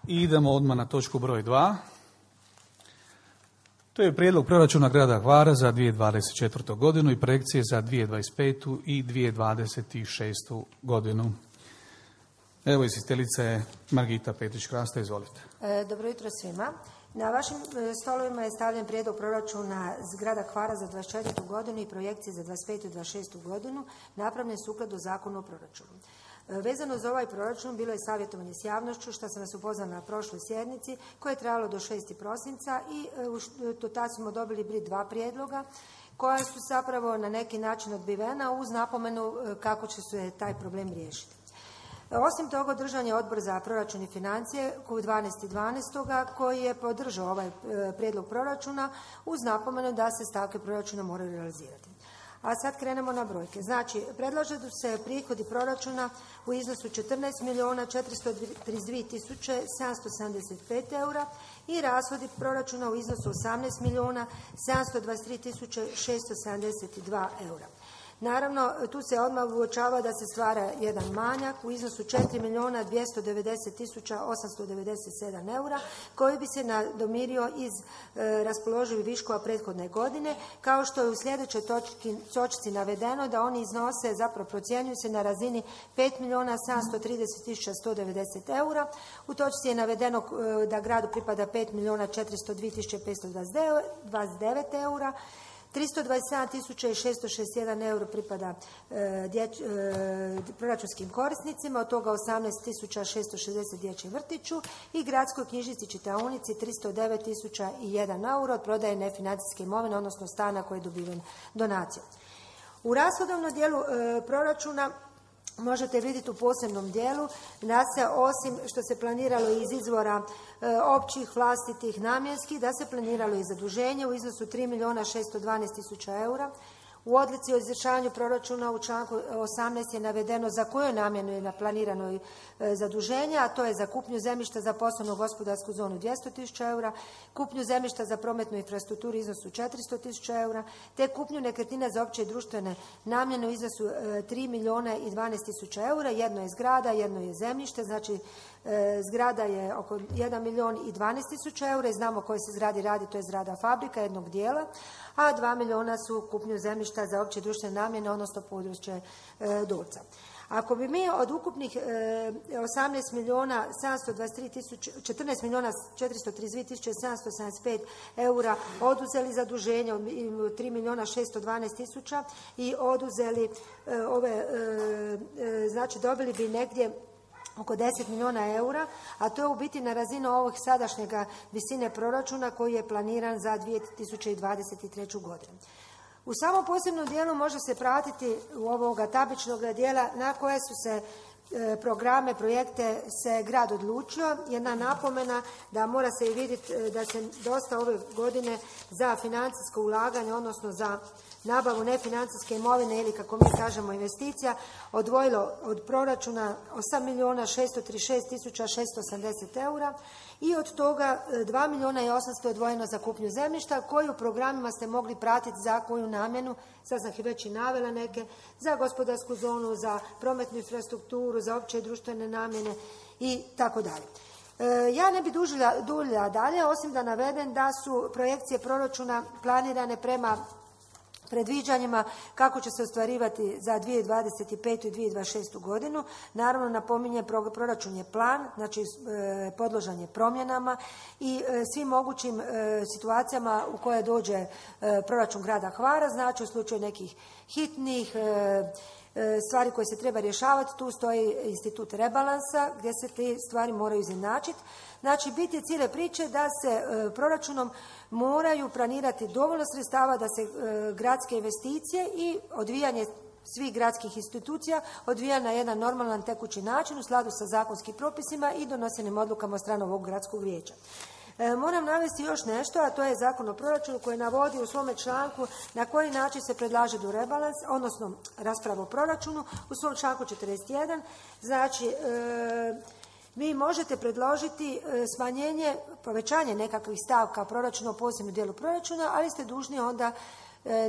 I idemo odmah na točku broj 2. To je prijedlog proračuna grada Hvara za 2024. godinu i projekcije za 2025. i 2026. godinu. Evo, izvjestiteljica je Margita Petrić-Krasta, izvolite. Dobro jutro svima. Na vašim stolovima je stavljen prijedlog proračuna grada Hvara za 2024. godinu i projekcije za 2025. i 2026. godinu, napravljen sukladno zakonu o proračunu. Vezano za ovaj proračun bilo je savjetovanje s javnošću, što sam vas upoznala na prošloj sjednici, koje je trajalo do 6. prosinca i do tada smo dobili 2 prijedloga koja su zapravo na neki način odbivena uz napomenu kako će se taj problem riješiti. Osim toga, održan je odbor za proračun i financije u 12.12. koji je podržao ovaj prijedlog proračuna uz napomenu da se stavke proračuna moraju realizirati. A sad krenemo na brojke. Znači, predlaže da se prihodi proračuna u iznosu 14.432.775 eura i rashodi proračuna u iznosu 18.723.672 eura. Naravno, tu se odmah uočava da se stvara jedan manjak u iznosu 4.290.897 eura koji bi se nadomirio iz raspoloživih viškova prethodne godine, kao što je u sljedećoj točci navedeno da oni iznose, zapravo procjenjuju se na razini 5.730.190 eura. U točci je navedeno da gradu pripada 5.402.529 eura. 327.661 euro pripada proračunskim korisnicima, od toga 18.660 dječjem vrtiću i gradskoj knjižnici čitaonici 309.001 euro od prodaje nefinancijske imovine, odnosno stana koji je dobiven donacijom. U rashodovnom dijelu proračuna možete vidjeti u posebnom dijelu da se osim što se planiralo iz izvora općih, vlastitih, namjenskih, da se planiralo i zaduženje u iznosu 3.612.000 eura. U odluci o izvršavanju proračuna u članku 18 je navedeno za koju namjenu je planirano zaduženje, a to je za kupnju zemljišta za poslovnu gospodarsku zonu 200.000 eura, kupnju zemljišta za prometnu infrastrukturu u iznosu 400.000 eura, te kupnju nekretnina za opće i društvene namjene u iznosu 3.012.000 eura. Jedno je zgrada, jedno je zemljište, znači zgrada je oko 1.012.000 eura i znamo koje se zgradi radi, to je zgrada fabrika jednog dijela, a 2 milijuna su kupnju zemljišta za opće društvene namjene, odnosno područje Dolca. Ako bi mi od ukupnih 14.432.775 eura oduzeli zaduženje od 3.612.000 i oduzeli znači dobili bi negdje oko 10 milijuna eura, a to je u biti na razinu ovog sadašnjega visine proračuna koji je planiran za 2023. godinu. U samom posebnom dijelu može se pratiti u ovoga tabličnog dijela na koje su se programe, projekte se grad odlučio. Jedna napomena da mora se i vidjeti da se dosta ove godine za financijsko ulaganje, odnosno za nabavu nefinancijske imovine ili kako mi kažemo investicija, odvojilo od proračuna 8.636.680 eura i od toga 2.800.000 odvojeno za kupnju zemljišta koji u programima ste mogli pratiti za koju namjenu, sad sam ih već i navela neke, za gospodarsku zonu, za prometnu infrastrukturu, za opće i društvene namjene i tako dalje. Ja ne bi duljila dalje, osim da navedem da su projekcije proračuna planirane prema predviđanjima kako će se ostvarivati za 2025. i 2026. godinu. Naravno, napominje, proračun je plan, znači podložan je promjenama i svim mogućim situacijama u koje dođe proračun grada Hvara, znači u slučaju nekih hitnih stvari koje se treba rješavati, tu stoji institut rebalansa gdje se te stvari moraju izjednačiti. Znači, bit je cijele priče da se proračunom moraju planirati dovoljno sredstava da se gradske investicije i odvijanje svih gradskih institucija odvija na jedan normalan tekući način u skladu sa zakonskim propisima i donosenim odlukama od strane ovog gradskog vijeća. Moram navesti još nešto, a to je Zakon o proračunu koji navodi u svome članku na koji način se predlaže do rebalans, odnosno rasprava o proračunu u svom članku 41. Znači, vi možete predložiti smanjenje, povećanje nekakvih stavka proračuna u posebnom dijelu proračuna, ali ste dužni onda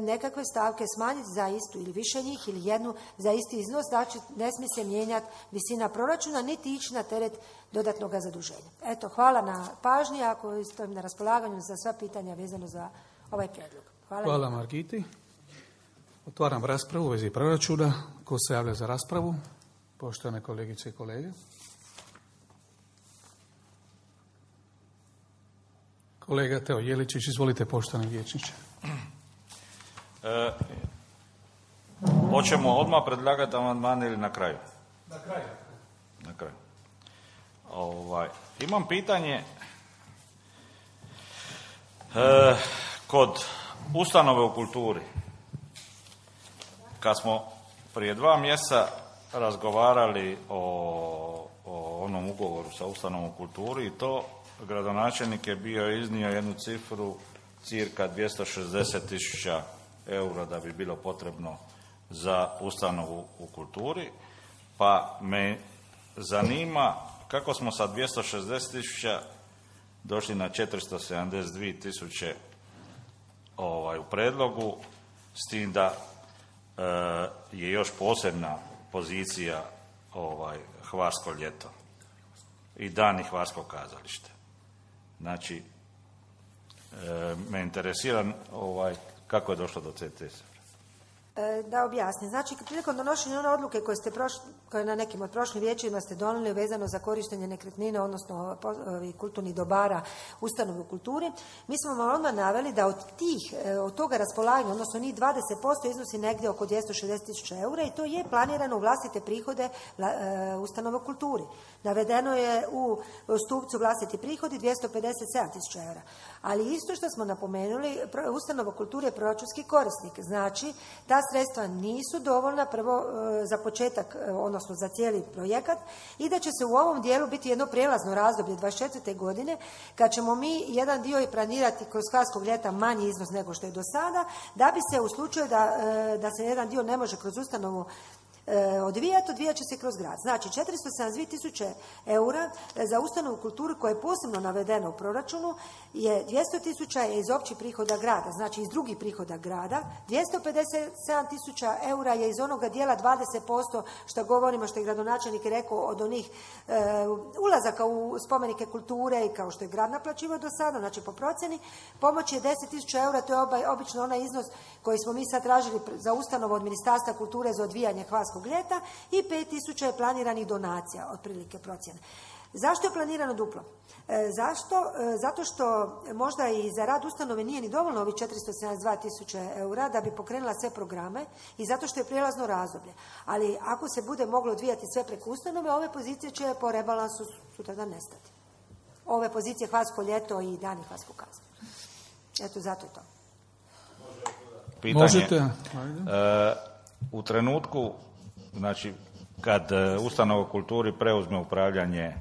nekakve stavke smanjiti za istu ili više njih ili jednu za isti iznos, znači ne smije se mijenjati visina proračuna niti ići na teret dodatnog zaduženja. Eto, hvala na pažnji, ako stojim na raspolaganju za sva pitanja vezano za ovaj prijedlog. Hvala Margiti. Otvaram raspravu u vezi proračuna. Ko se javlja za raspravu? Poštovane kolegice i kolege. Kolega Teo Jeličić, izvolite, poštovani vijećniče. Hoćemo odmah predlagati amandmane ili na kraju? Na kraju. Imam pitanje kod ustanove u kulturi. Kad smo prije 2 mjeseca razgovarali o onom ugovoru sa ustanovom u kulturi i to, gradonačelnik je bio iznio jednu cifru cirka 260.000 eura da bi bilo potrebno za ustanovu u kulturi, pa me zanima kako smo sa 260.000 došli na 472.000 u predlogu, s tim da je još posebna pozicija Hvarsko ljeto i Dani Hvarskog kazališta. Znači, me interesira kako je došlo do te cifre. Da objasnim. Znači, prilikom donošenja one odluke koje na nekim od prošlim vijećima ste donijeli vezano za korištenje nekretnina, odnosno kulturnih dobara ustanove u kulturi, mi smo vam odmah naveli da od toga raspolaganja, odnosno njih 20% iznosi negdje oko 260.000 eura i to je planirano u vlastite prihode ustanove u kulturi. Navedeno je u stupcu vlastiti prihodi 257.000 eura. Ali isto što smo napomenuli, ustanova kulture je proračunski korisnik. Znači, ta sredstva nisu dovoljna prvo za početak, odnosno za cijeli projekat, i da će se u ovom dijelu biti jedno prijelazno razdoblje 24. godine kad ćemo mi jedan dio i planirati kroz Hvarskog ljeta manji iznos nego što je do sada, da bi se u slučaju da se jedan dio ne može kroz ustanovu odvijat će se kroz grad. Znači, 472.000 eura za ustanovu kulturu koja je posebno navedena u proračunu je 200.000 je iz općih prihoda grada, znači iz drugih prihoda grada, 257.000 eura je iz onoga dijela 20% što govorimo, što je gradonačelnik rekao, od onih ulazaka u spomenike kulture i kao što je grad naplaćivao do sada, znači po procjeni. Pomoć je 10.000 eura, to je obično onaj iznos koji smo mi sad tražili za ustanovu od Ministarstva kulture za odvijanje Hvarskog ljeta i 5.000 je planiranih donacija, otprilike procjene. Zašto je planirano duplo? Zašto? Zato što možda i za rad ustanove nije ni dovoljno ovih 472.000 eura da bi pokrenula sve programe i zato što je prijelazno razdoblje. Ali ako se bude moglo odvijati sve preko ustanove, ove pozicije će po rebalansu sutradan nestati. Ove pozicije Hvarsko ljeto i Dani Hvarskog kazališta. Eto, zato je to. Pitanje. Možete. U trenutku, znači, kad ustanova u kulturi preuzme upravljanje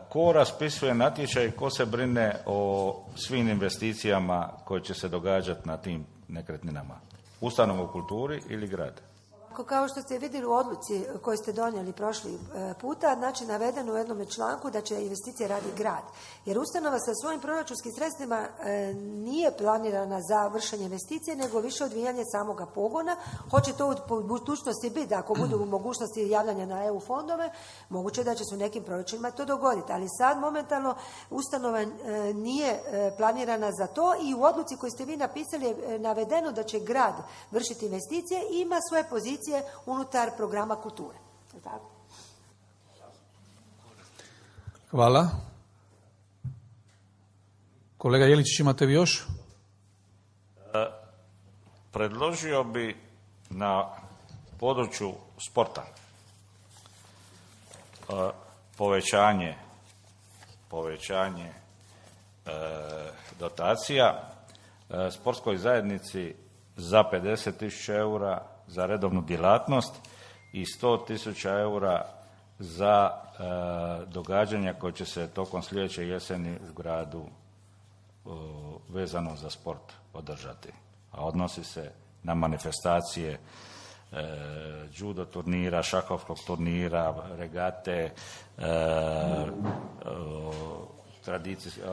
ko raspisuje natječaj, ko se brine o svim investicijama koje će se događati na tim nekretninama? Ustanova u kulturi ili grad? Kao što ste vidjeli u odluci koju ste donijeli prošli puta, znači navedeno u jednom članku da će investicije radi grad. Jer ustanova sa svojim proračunskim sredstvima nije planirana za vršenje investicije, nego više odvijanje samoga pogona. Hoće to u budućnosti biti, da ako budu u mogućnosti javljanja na EU fondove, moguće da će se u nekim proračunima to dogoditi. Ali sad momentalno ustanova nije planirana za to i u odluci koju ste vi napisali je navedeno da će grad vršiti investicije i ima svoje pozicije unutar programa kulture. Tako? Hvala. Kolega Jeličić, imate vi još? Predložio bi na području sporta povećanje dotacija sportskoj zajednici za 50.000 eura za redovnu djelatnost i 100.000 eura za događanja koje će se tokom sljedeće jeseni u gradu vezano za sport održati. A odnosi se na manifestacije judo turnira, šahovskog turnira, regate,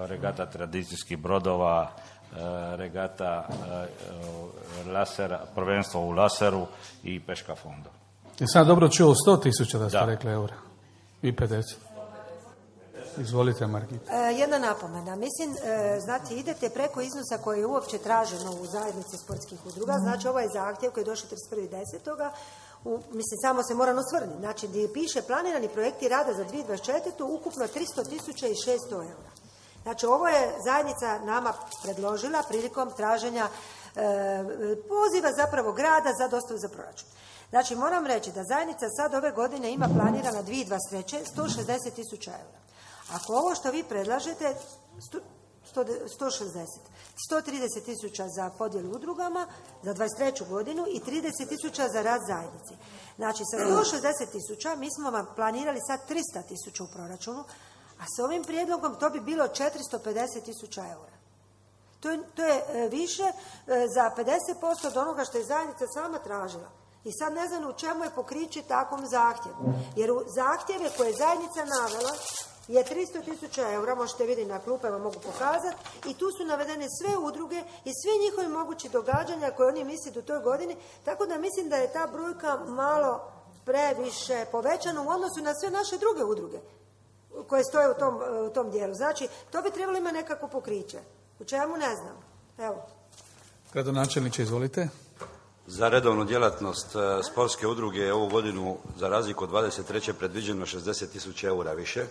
regata tradicijskih brodova, regata lasera, prvenstvo u laseru i peška fonda. Jesam dobro čuo 100.000 da ste rekli eura i 50. Izvolite, Margita. Jedna napomena. Mislim, znači, idete preko iznosa koji je uopće traženo u zajednici sportskih udruga. Znači, ovo je zahtjev koji je došao 31.10. Mislim, samo se moram osvrniti. Znači, gdje piše planirani projekti rada za 2024. ukupno 300.600 eura. Znači, ovo je zajednica nama predložila prilikom traženja poziva zapravo grada za dostavu za proračun. Znači, moram reći da zajednica sad ove godine ima planirana 2023. 160.000 eura. Ako ovo što vi predlažete, 130.000 za podjelu udrugama za 23. godinu i 30.000 za rad zajednici. Znači, sa 160.000 mi smo vam planirali sad 300.000 u proračunu, a s ovim prijedlogom to bi bilo 450.000 eura. To je više za 50% od onoga što je zajednica sama tražila. I sad ne znam u čemu je pokriće takvom zahtjevu. Jer u zahtjeve koje je zajednica navela je 300.000 eura, možete vidjeti na klupama, mogu pokazati, i tu su navedene sve udruge i svi njihovi mogući događanja koje oni misle u toj godini, tako da mislim da je ta brojka malo previše povećana u odnosu na sve naše druge udruge koje stoje u tom dijelu. Znači, to bi trebalo imati nekako pokriće. U čemu ne znam. Evo. Gradonačelniče, izvolite. Za redovnu djelatnost sportske udruge je ovu godinu, za razliku od 23. predviđeno 60.000 eura više,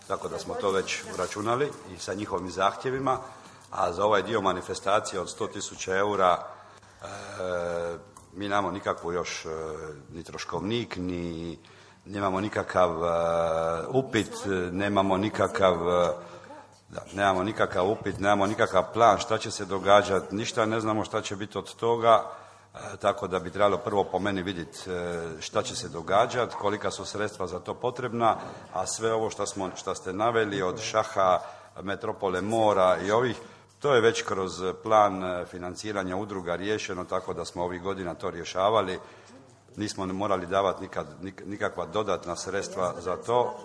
tako da smo to već uračunali i sa njihovim zahtjevima, a za ovaj dio manifestacije od 100.000 eura mi nemamo nikakvu još ni troškovnik, ni nemamo nikakav upit, nemamo nikakav plan šta će se događati, ništa ne znamo šta će biti od toga. Tako da bi trebalo prvo po meni vidjeti šta će se događati, kolika su sredstva za to potrebna, a sve ovo što ste naveli od šaha, metropole mora i ovih, to je već kroz plan financiranja udruga riješeno, tako da smo ovih godina to rješavali. Nismo morali davati nikakva dodatna sredstva za to.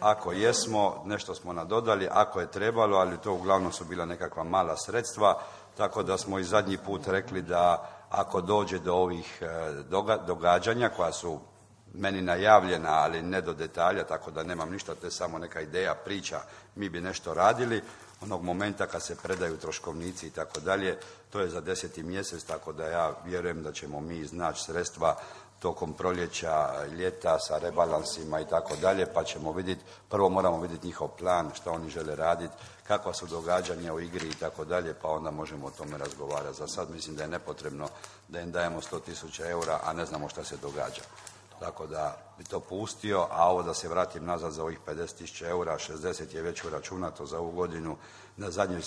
Ako jesmo, nešto smo nadodali, ako je trebalo, ali to uglavnom su bila nekakva mala sredstva, tako da smo i zadnji put rekli da ako dođe do ovih događanja koja su meni najavljena, ali ne do detalja, tako da nemam ništa, to je samo neka ideja, priča, mi bi nešto radili, onog momenta kad se predaju troškovnici i tako dalje, to je za 10. mjesec, tako da ja vjerujem da ćemo mi iznaći sredstva tokom proljeća, ljeta sa rebalansima i tako dalje, pa ćemo vidjeti, prvo moramo vidjeti njihov plan, što oni žele raditi, kakva su događanja u igri i tako dalje, pa onda možemo o tome razgovarati. Za sad mislim da je nepotrebno da im dajemo 100.000 eura, a ne znamo šta se događa. Tako da bi to pustio, a ovo da se vratim nazad za ovih 50.000 eura, 60 je već uračunato za ovu godinu.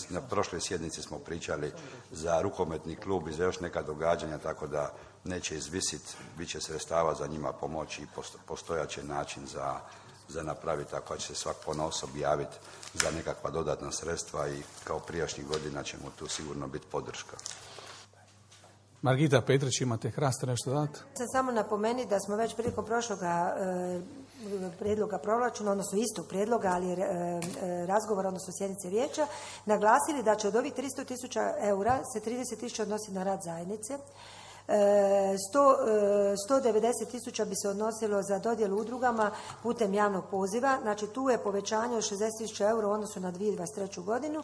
Na prošloj sjednici smo pričali za rukometni klub i za još neka događanja, tako da neće izvisiti, bit će sredstava za njima pomoći i postojaće način za napraviti, ako će se svak ponaosob javiti za nekakva dodatna sredstva i kao prijašnjih godina ćemo tu sigurno biti podrška. Margita Petrić, imate Hrasta nešto dati? Samo napomeni da smo već prilikom prošloga prijedloga proračuna, odnosno istog prijedloga, ali razgovora, odnosno sjednice vijeća, naglasili da će od ovih 300.000 eura se 30.000 odnosi na rad zajednice, 190.000 bi se odnosilo za dodjelu udrugama putem javnog poziva, znači tu je povećanje od 60.000 eura u odnosu na 2023. godinu,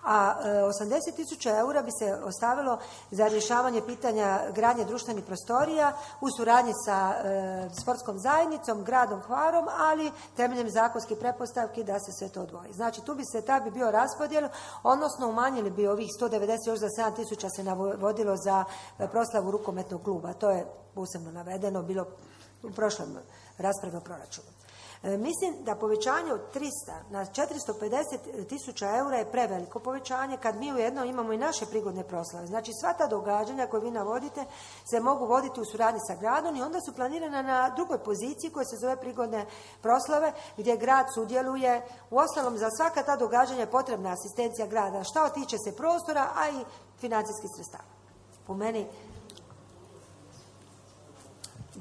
a 80.000 eura bi se ostavilo za rješavanje pitanja gradnje društvenih prostorija u suradnji sa sportskom zajednicom, gradom Hvarom, ali temeljem zakonskih pretpostavki da se sve to odvoji. Znači tu bi se bi bio raspodjel, odnosno umanjili bi ovih 190 još za 7.000 se navodilo za proslavu rukometnog kluba. To je posebno navedeno bilo u prošlom raspravi o proračunu. Mislim da povećanje od 300 na 450.000 eura je preveliko povećanje kad mi ujedno imamo i naše prigodne proslave. Znači sva ta događanja koje vi navodite se mogu voditi u suradnji sa gradom i onda su planirana na drugoj poziciji koja se zove prigodne proslave gdje grad sudjeluje. Uostalom za svaka ta događanja je potrebna asistencija grada šta tiče se prostora, a i financijskih sredstava. Po meni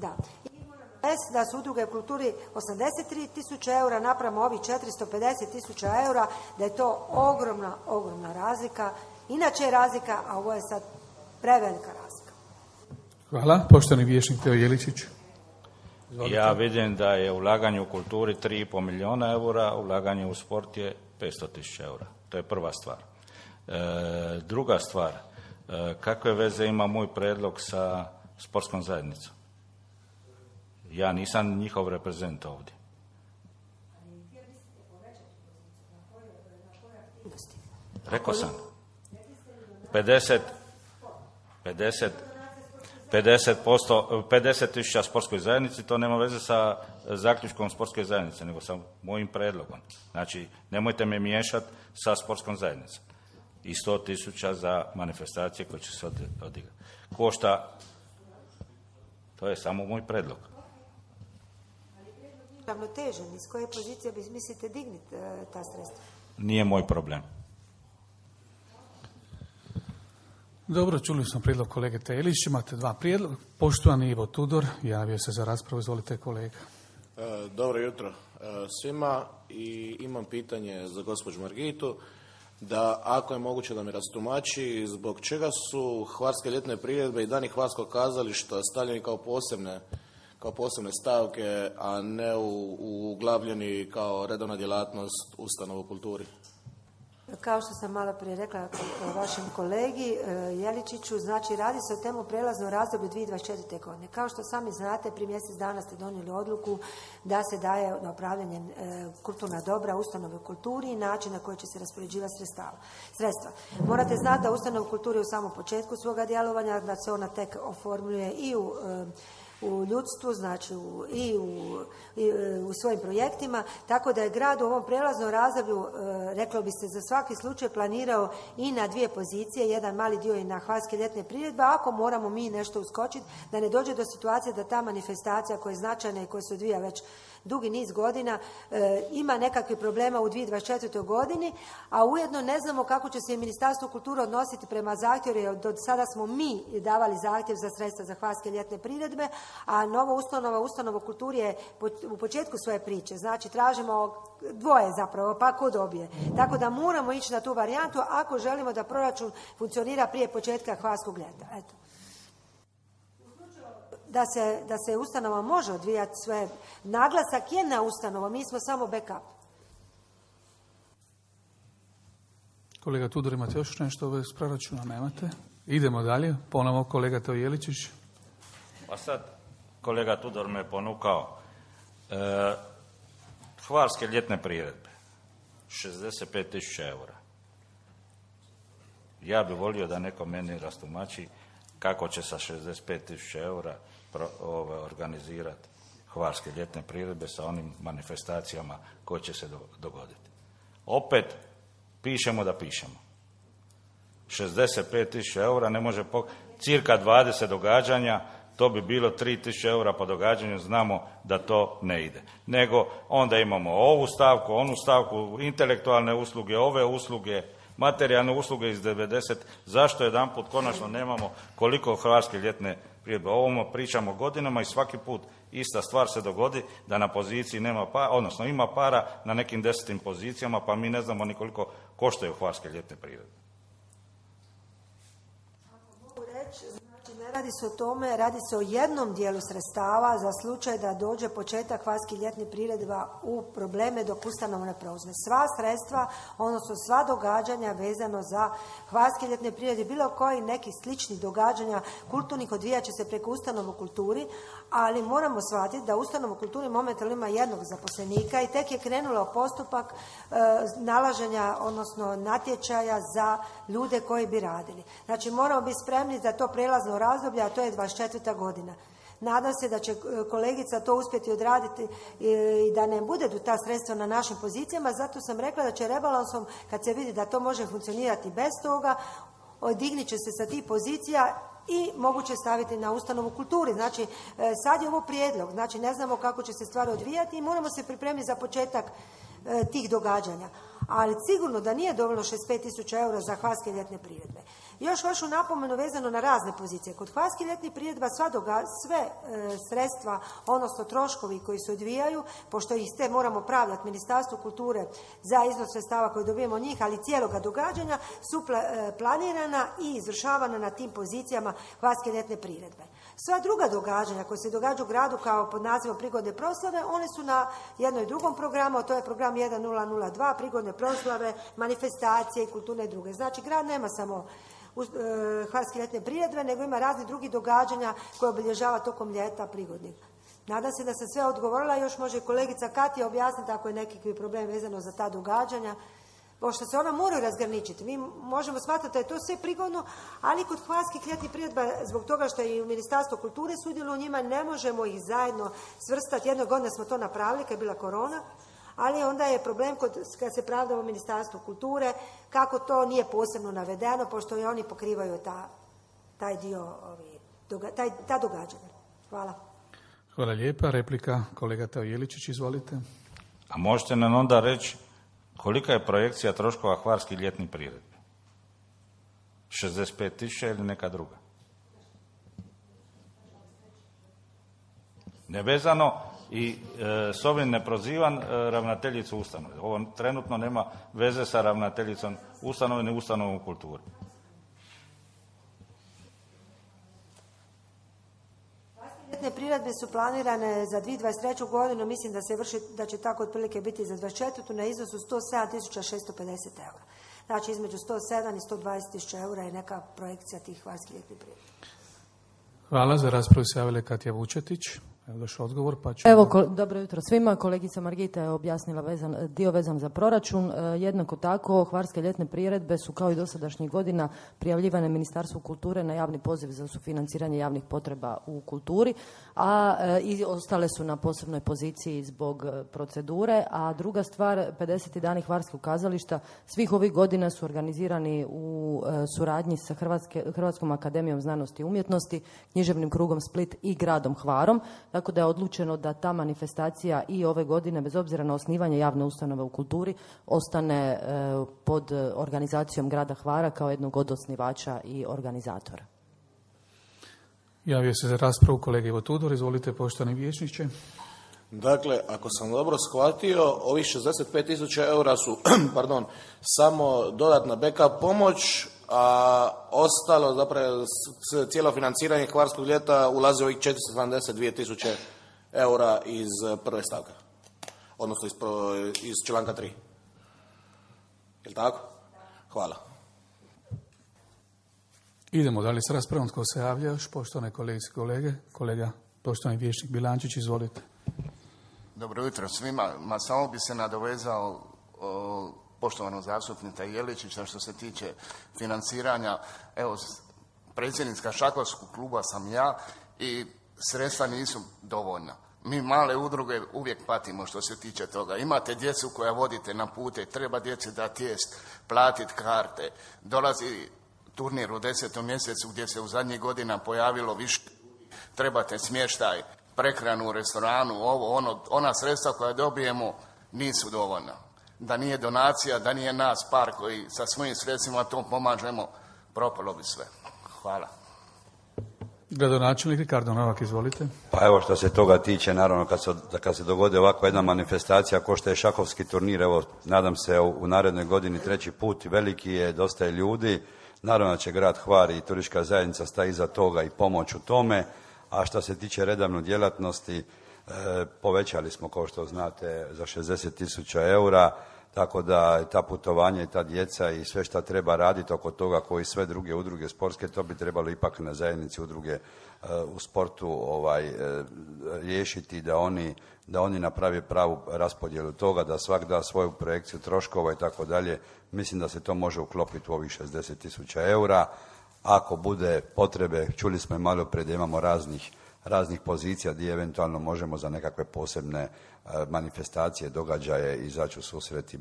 Da. Da su udruge u kulturi 83.000 eura napramo ovih 450.000 eura, da je to ogromna razlika. Inače je razlika, a ovo je sad prevelika razlika. Hvala. Poštovani vijećnik Teo Jeličić. Izvolite. Ja vidim da je ulaganje u kulturi 3,5 milijuna eura, ulaganje u sport je 500.000 eura. To je prva stvar. Druga stvar, kakve veze ima moj predlog sa sportskom zajednicom? Ja nisam njihov reprezent ovdje. Rekao sam. 50.000 sportskoj zajednici, to nema veze sa zaključkom sportske zajednice, nego sa mojim predlogom. Znači, nemojte me miješati sa sportskom zajednicom. I 100.000 za manifestacije koje će se odigrati. Košta, to je samo moj predlog. Ravnotežen, iz koje pozicije bi mislite digniti ta sredstva? Nije moj problem. Dobro, čuli smo prijedlog kolege Telić, imate dva prijedloga. Poštovani Ivo Tudor, javio se za raspravu, izvolite kolega. Dobro jutro svima i imam pitanje za gospođu Margitu, da ako je moguće da mi rastumači zbog čega su hvarske ljetne priredbe i dani hvarskog kazališta stavljeni kao posebne stavke, a ne uglavljeni kao redovna djelatnost ustanova u kulturi. Kao što sam malo prije rekla vašem kolegi Jeličiću, znači radi se o temu prelazno razdoblju 2024. godine. Kao što sami znate, prije mjesec dana ste donijeli odluku da se daje na upravljanje kulturna dobra ustanove u kulturi i način na koji će se raspoređivati sredstva. Morate znati da ustanova u kulturi u samom početku svoga djelovanja, da se ona tek oformljuje i u ljudstvu, znači u svojim projektima, tako da je grad u ovom prelaznom razdoblju, reklo bi se, za svaki slučaj planirao i na dvije pozicije, jedan mali dio i na hvarske ljetne priredbe, ako moramo mi nešto uskočiti, da ne dođe do situacije da ta manifestacija koja je značajna i koja se odvija već dugi niz godina, ima nekakvih problema u 2024. godini, a ujedno ne znamo kako će se i Ministarstvo kulture odnositi prema zahtjevu, jer do sada smo mi davali zahtjev za sredstva za hvarske ljetne priredbe, a nova ustanova u kulturi je u početku svoje priče. Znači, tražimo dvoje zapravo, pa ko dobije. Tako da moramo ići na tu varijantu ako želimo da proračun funkcionira prije početka hvarskog ljeta. Eto. Da se ustanova može odvijati sve. Naglasak je na ustanovu, mi smo samo backup. Kolega Tudor, imate još nešto s proračuna? Nemate? Idemo dalje. Ponovo kolega Teo Jeličić. Pa sad, kolega Tudor me ponukao. Hvarske ljetne priredbe. 65.000 eura. Ja bih volio da neko meni rastumači kako će sa 65.000 eura organizirati hvarske ljetne priredbe sa onim manifestacijama koje će se dogoditi. Opet pišemo da pišemo. 65.000 eura ne može cirka 20 događanja, to bi bilo 3.000 eura po događanju, znamo da to ne ide. Nego onda imamo ovu stavku, onu stavku, intelektualne usluge, ove usluge, materijalne usluge iz 90. Zašto jedanput konačno nemamo koliko hvarske ljetne priredbe? O ovom pričamo godinama i svaki put ista stvar se dogodi da na poziciji nema para, odnosno ima para na nekim 10. pozicijama, pa mi ne znamo ni koliko koštaju hvarske ljetne priredbe. Mogu reći, znači ne radi se o tome, radi se o jednom dijelu sredstava za slučaj da dođe početak hvarskih ljetnih priredba u probleme dok ustanova ne preuzme. Sva sredstva, odnosno sva događanja vezano za hvarske ljetne priredbe, bilo koji nekih sličnih događanja kulturnih odvijat će se preko ustanova u kulturi, ali moramo shvatiti da ustanova u kulturi momentalno ima jednog zaposlenika i tek je krenulo postupak nalaženja, odnosno natječaja za ljude koji bi radili. Znači moramo biti spremni za to prelazno razdoblje, a to je 24. godina. Nadam se da će kolegica to uspjeti odraditi i da ne bude ta sredstva na našim pozicijama, zato sam rekla da će rebalansom, kad se vidi da to može funkcionirati bez toga, dignit će se sa tih pozicija i moguće staviti na ustanovu kulturi. Znači, sad je ovo prijedlog, znači ne znamo kako će se stvari odvijati i moramo se pripremiti za početak tih događanja. Ali sigurno da nije dovoljno 65.000 eura za hvarske ljetne priredbe. Još vašu napomenu vezano na razne pozicije. Kod hvarskih ljetnih priredba sve sredstva, odnosno troškovi koji se odvijaju, pošto ih ste moramo pravljati Ministarstvu kulture za iznos sredstava koje dobijemo od njih, ali cijeloga događanja su planirana i izvršavana na tim pozicijama hvarske ljetne priredbe. Sva druga događanja koja se događaju u gradu kao pod nazivom prigodne proslave, one su na jednom i drugom programu, a to je program 1002, prigodne proslave, manifestacije i kulturne i druge. Znači, grad nema samo hvarske ljetne priredbe, nego ima razni drugi događanja koje obilježava tokom ljeta prigodnih. Nadam se da sam sve odgovorila, još može kolegica Katja objasniti ako je neki problem vezano za ta događanja, pošto se ona moraju razgraničiti. Mi možemo smatrati da je to sve prigodno, ali kod hvarskih ljetnih priredba, zbog toga što i u Ministarstvu kulture sudjeluje u njima, ne možemo ih zajedno svrstati. Jednog godine smo to napravili kad je bila korona, ali onda je problem kad se pravdamo u Ministarstvu kulture, kako to nije posebno navedeno, pošto i oni pokrivaju taj dio, ta događanja. Hvala. Hvala lijepa. Replika, kolega Teo Jeličić, izvolite. A možete nam onda reći kolika je projekcija troškova hvarskih ljetnih priredbi? 65.000 ili neka druga? Nevezano i s ovim ne prozivam ravnateljicu ustanove. Ovo trenutno nema veze sa ravnateljicom ustanove ni ustanovom kulture. Ljetne priredbe su planirane za 2023. godinu, mislim da će tako otprilike biti za 2024. na iznosu 107.650 eura. Znači između 107 i 120.000 eura je neka projekcija tih hvarskih ljetnih priredbi. Hvala. Za raspravu se javila Katja Vučetić. Evo došao odgovor, pa ću... Evo, dobro jutro svima. Kolegica Margita je objasnila dio vezan za proračun. Jednako tako, hvarske ljetne priredbe su kao i dosadašnjih godina prijavljivane Ministarstvu kulture na javni poziv za sufinanciranje javnih potreba u kulturi, a i ostale su na posebnoj poziciji zbog procedure. A druga stvar, 50. dani hvarskog kazališta svih ovih godina su organizirani u suradnji sa Hrvatskom akademijom znanosti i umjetnosti, Književnim krugom Split i gradom Hvarom. Tako da je odlučeno da ta manifestacija i ove godine, bez obzira na osnivanje javne ustanove u kulturi, ostane pod organizacijom grada Hvara kao jednog od osnivača i organizatora. Javio se za raspravu kolega Ivo Tudor. Izvolite, poštovani vijećniče. Dakle, ako sam dobro shvatio, ovih 65.000 eura su samo dodatna backup pomoć, a ostalo, zapravo, cijelo financiranje hvarskog ljeta ulazi ovih 472.000 eura iz prve stavke, odnosno iz članka 3. Je li tako? Hvala. Idemo dalje s raspravom. Tko se javlja još? Poštovane kolegice i kolege. Kolega, poštovani vijećnik Bilančić, izvolite. Dobro jutro svima. Samo bi se nadovezao poštovanog zastupnika Jeličića što se tiče financiranja. Evo, predsjednica šahovskog kluba sam ja i sredstva nisu dovoljna. Mi male udruge uvijek patimo što se tiče toga. Imate djecu koja vodite na pute, treba djeci dati jest, platiti karte. Dolazi turnir u 10. mjesecu gdje se u zadnjih godina pojavilo više, trebate smještaj, prehranu u restoranu, ona sredstva koja dobijemo nisu dovoljna. Da nije donacija, da nije nas par koji sa svojim sredstvima to pomažemo, propalo bi sve. Hvala. Gradonačelnik Ricardo Novak, izvolite. Pa evo što se toga tiče, naravno kad se dogodi ovakva jedna manifestacija ko što je šahovski turnir, evo nadam se u narednoj godini 3. put, veliki je, dosta je ljudi, naravno će grad Hvar i turistička zajednica staje iza toga i pomoć u tome, a što se tiče redovne djelatnosti, povećali smo, kao što znate, za 60.000 eura, tako da ta putovanja i ta djeca i sve što treba raditi oko toga, koji sve druge udruge sportske, to bi trebalo ipak na zajednici udruge u sportu riješiti, da oni naprave pravu raspodjelu toga, da svak da svoju projekciju troškova i tako dalje. Mislim da se to može uklopiti u ovih 60.000 eura. Ako bude potrebe, čuli smo i malo prije da imamo raznih pozicija gdje eventualno možemo za nekakve posebne manifestacije, događaje izaći u susret i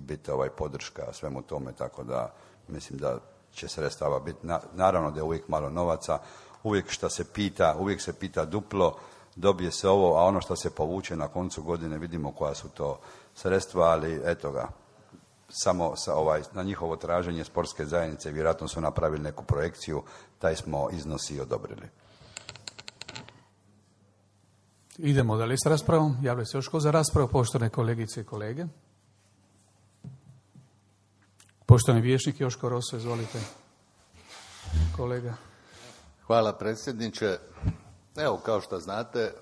biti podrška svemu tome, tako da mislim da će sredstava biti. Naravno da je uvijek malo novaca, uvijek se pita duplo, dobije se ovo, a ono što se povuče na koncu godine vidimo koja su to sredstva, ali eto ga, samo na njihovo traženje sportske zajednice, vjerojatno su napravili neku projekciju, taj smo iznos i odobrili. Idemo dalje s raspravom. Javlja se još ko za raspravu, poštovane kolegice i kolege. Poštovani vijećnik Joško Roso, izvolite. Kolega. Hvala predsjedniče. Evo, kao što znate,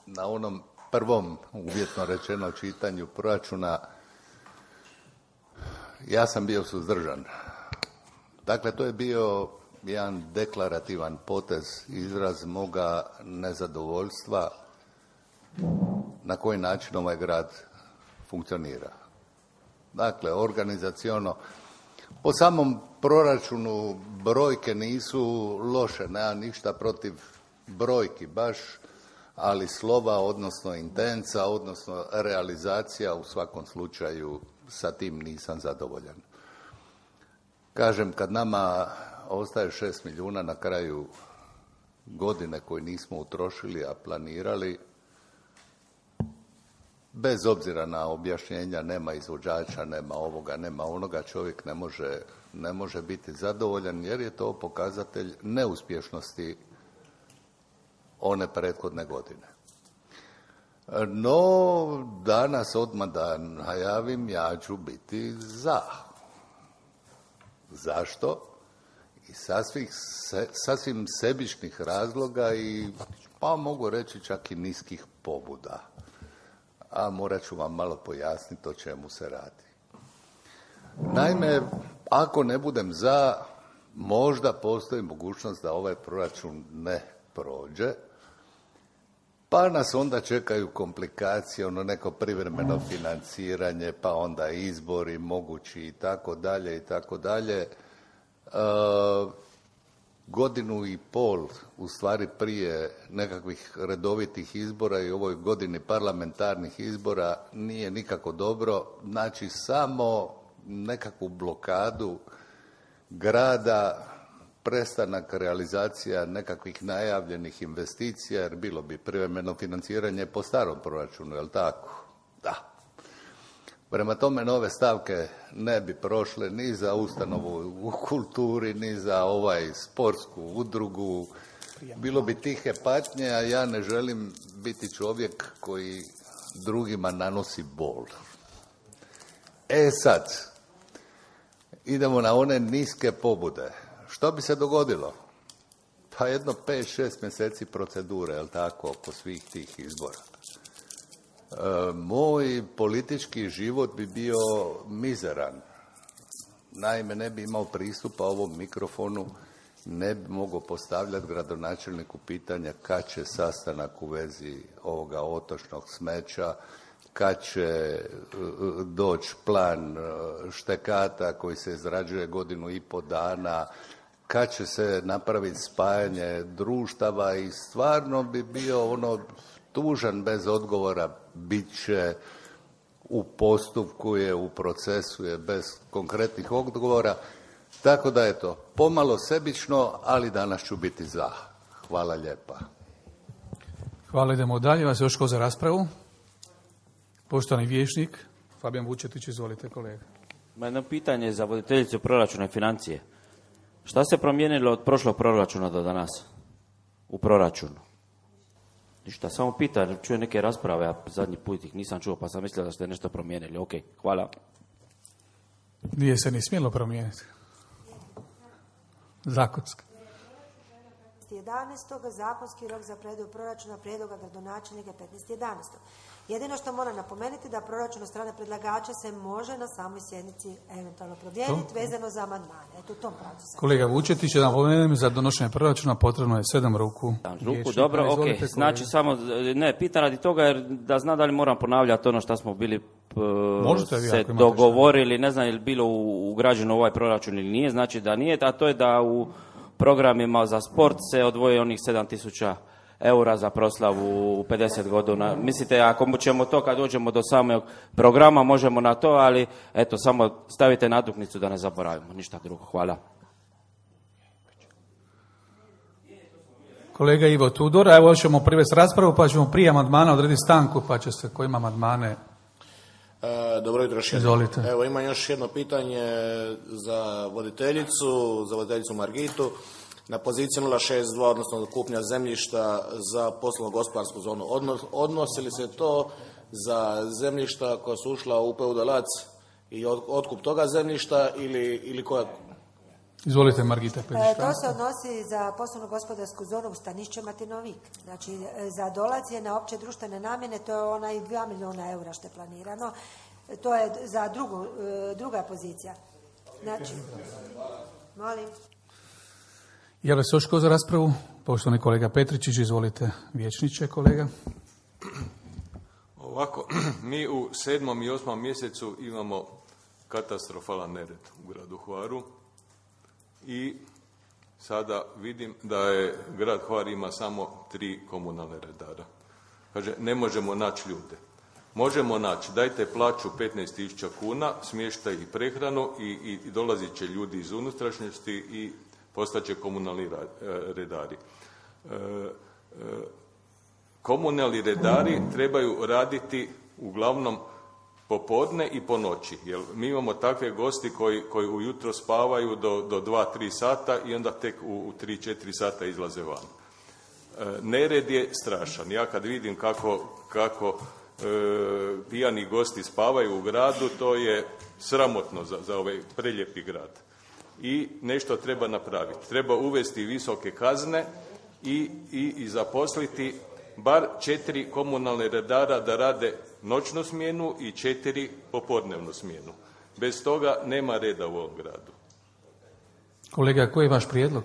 na onom prvom, uvjetno rečeno, čitanju proračuna ja sam bio suzdržan. Dakle, to je bio jedan deklarativan potez, izraz moga nezadovoljstva na koji način ovaj grad funkcionira. Dakle, organizaciono, po samom proračunu brojke nisu loše, nema ništa protiv brojki baš, ali slova, odnosno intenca, odnosno realizacija, u svakom slučaju sa tim nisam zadovoljan. Kažem, kad nama ostaje 6 milijuna na kraju godine koje nismo utrošili, a planirali, bez obzira na objašnjenja, nema izvođača, nema ovoga, nema onoga, čovjek ne može biti zadovoljan, jer je to pokazatelj neuspješnosti one prethodne godine. No, danas odmah da najavim, ja ću biti za. Zašto? I sasvim sebičnih razloga i, pa mogu reći, čak i niskih pobuda. A morat ću vam malo pojasniti o čemu se radi. Naime, ako ne budem za, možda postoji mogućnost da ovaj proračun ne prođe, pa nas onda čekaju komplikacije, neko privremeno financiranje, pa onda izbori mogući i tako dalje i tako dalje. Godinu i pol, u stvari prije nekakvih redovitih izbora i ovoj godini parlamentarnih izbora nije nikako dobro. Znači, samo nekakvu blokadu grada, prestanak realizacija nekakvih najavljenih investicija, jer bilo bi privremeno financiranje po starom proračunu, je li tako? Da. Prema tome, nove stavke ne bi prošle ni za ustanovu u kulturi, ni za sportsku udrugu. Bilo bi tihe patnje, a ja ne želim biti čovjek koji drugima nanosi bol. Sad, idemo na one niske pobude. Što bi se dogodilo? Pa jedno 5-6 mjeseci procedure, je li tako, oko svih tih izbora. Moj politički život bi bio mizeran. Naime, ne bi imao pristupa ovom mikrofonu, ne bi mogao postavljati gradonačelniku pitanja kad će sastanak u vezi ovoga otočnog smeća, kad će doći plan štekata koji se izrađuje 1,5 dana, kad će se napraviti spajanje društava i stvarno bi bio tužan bez odgovora, bit će u postupku je, u procesu je, bez konkretnih odgovora. Tako da je to pomalo sebično, ali danas ću biti za. Hvala lijepa. Hvala, idemo dalje. Vas još ko za raspravu? Poštovani vijećnik Fabijan Vučetić, izvolite kolega. Ima jedno pitanje za voditeljicu proračuna i financije. Šta se promijenilo od prošlog proračuna do danas u proračunu? Ništa, samo pitam, čujem neke rasprave, a zadnji put ih nisam čuo, pa sam mislio da ste nešto promijenili. Ok, hvala. Nije se ni smjelo promijeniti. Zakonski. 11. zakonski rok za predaju proračuna prijedloga gradonačelnika 15.11. Jedino što moram napomenuti da proračun od strane predlagača se može na samoj sjednici eventualno promijeniti vezano za amandmane. Eto, u tom pravcu se. Kolega Vučetić, da napomenem, za donošenje proračuna potrebno je 7 ruku. Dobro, ok. Znači, samo, ne, pitam radi toga jer da znam da li moram ponavljati ono što smo bili se dogovorili, ne znam je li bilo ugrađeno ovaj proračun ili nije, znači da nije, a to je da u programima za sport se odvoje onih 7.000 eura za proslavu u 50 godina. Mislite, ako ćemo to kad dođemo do samog programa, možemo na to, ali eto, samo stavite natuknicu da ne zaboravimo. Ništa drugo. Hvala. Kolega Ivo Tudor, evo ćemo privesti raspravu, pa ćemo prije amandmana odrediti stanku, pa će se ko ima amandmane. Dobro jutro još jednom. Evo, imam još jedno pitanje za voditeljicu Margitu. Na poziciji 062, odnosno kupnja zemljišta za poslovno-gospodarsku zonu. Odnosi li se to za zemljišta koja su ušla u Peudalac i otkup toga zemljišta ili koja? Izvolite, Margita. To se odnosi za poslovno-gospodarsku zonu u Stanišće Martinovik. Znači, za dolacije na opće društvene namjene, to je onaj 2 milijuna eura što je planirano. To je za druga pozicija. Znači, molim. Javlja se još ko za raspravu? Poštovani kolega Petričić, izvolite, vijećniče, kolega. Ovako, mi u 7. i 8. mjesecu imamo katastrofalan nered u gradu Hvaru i sada vidim da je grad Hvar ima samo 3 komunalne redara. Kaže, ne možemo naći ljude. Možemo naći, dajte plaću 15.000 kuna, smještaj i prehranu i dolazit će ljudi iz unutrašnjosti i postaće komunalni redari. Komunalni redari trebaju raditi uglavnom popodne i po noći, jer mi imamo takve gosti koji ujutro spavaju do 2-3 sata i onda tek u 3-4 sata izlaze van. Nered je strašan. Ja kad vidim kako pijani gosti spavaju u gradu, to je sramotno za ovaj prelijepi grad. I nešto treba napraviti. Treba uvesti visoke kazne i zaposliti bar 4 komunalne redara da rade noćnu smjenu i 4 popodnevnu smjenu. Bez toga nema reda u ovom gradu. Kolega, koji je vaš prijedlog?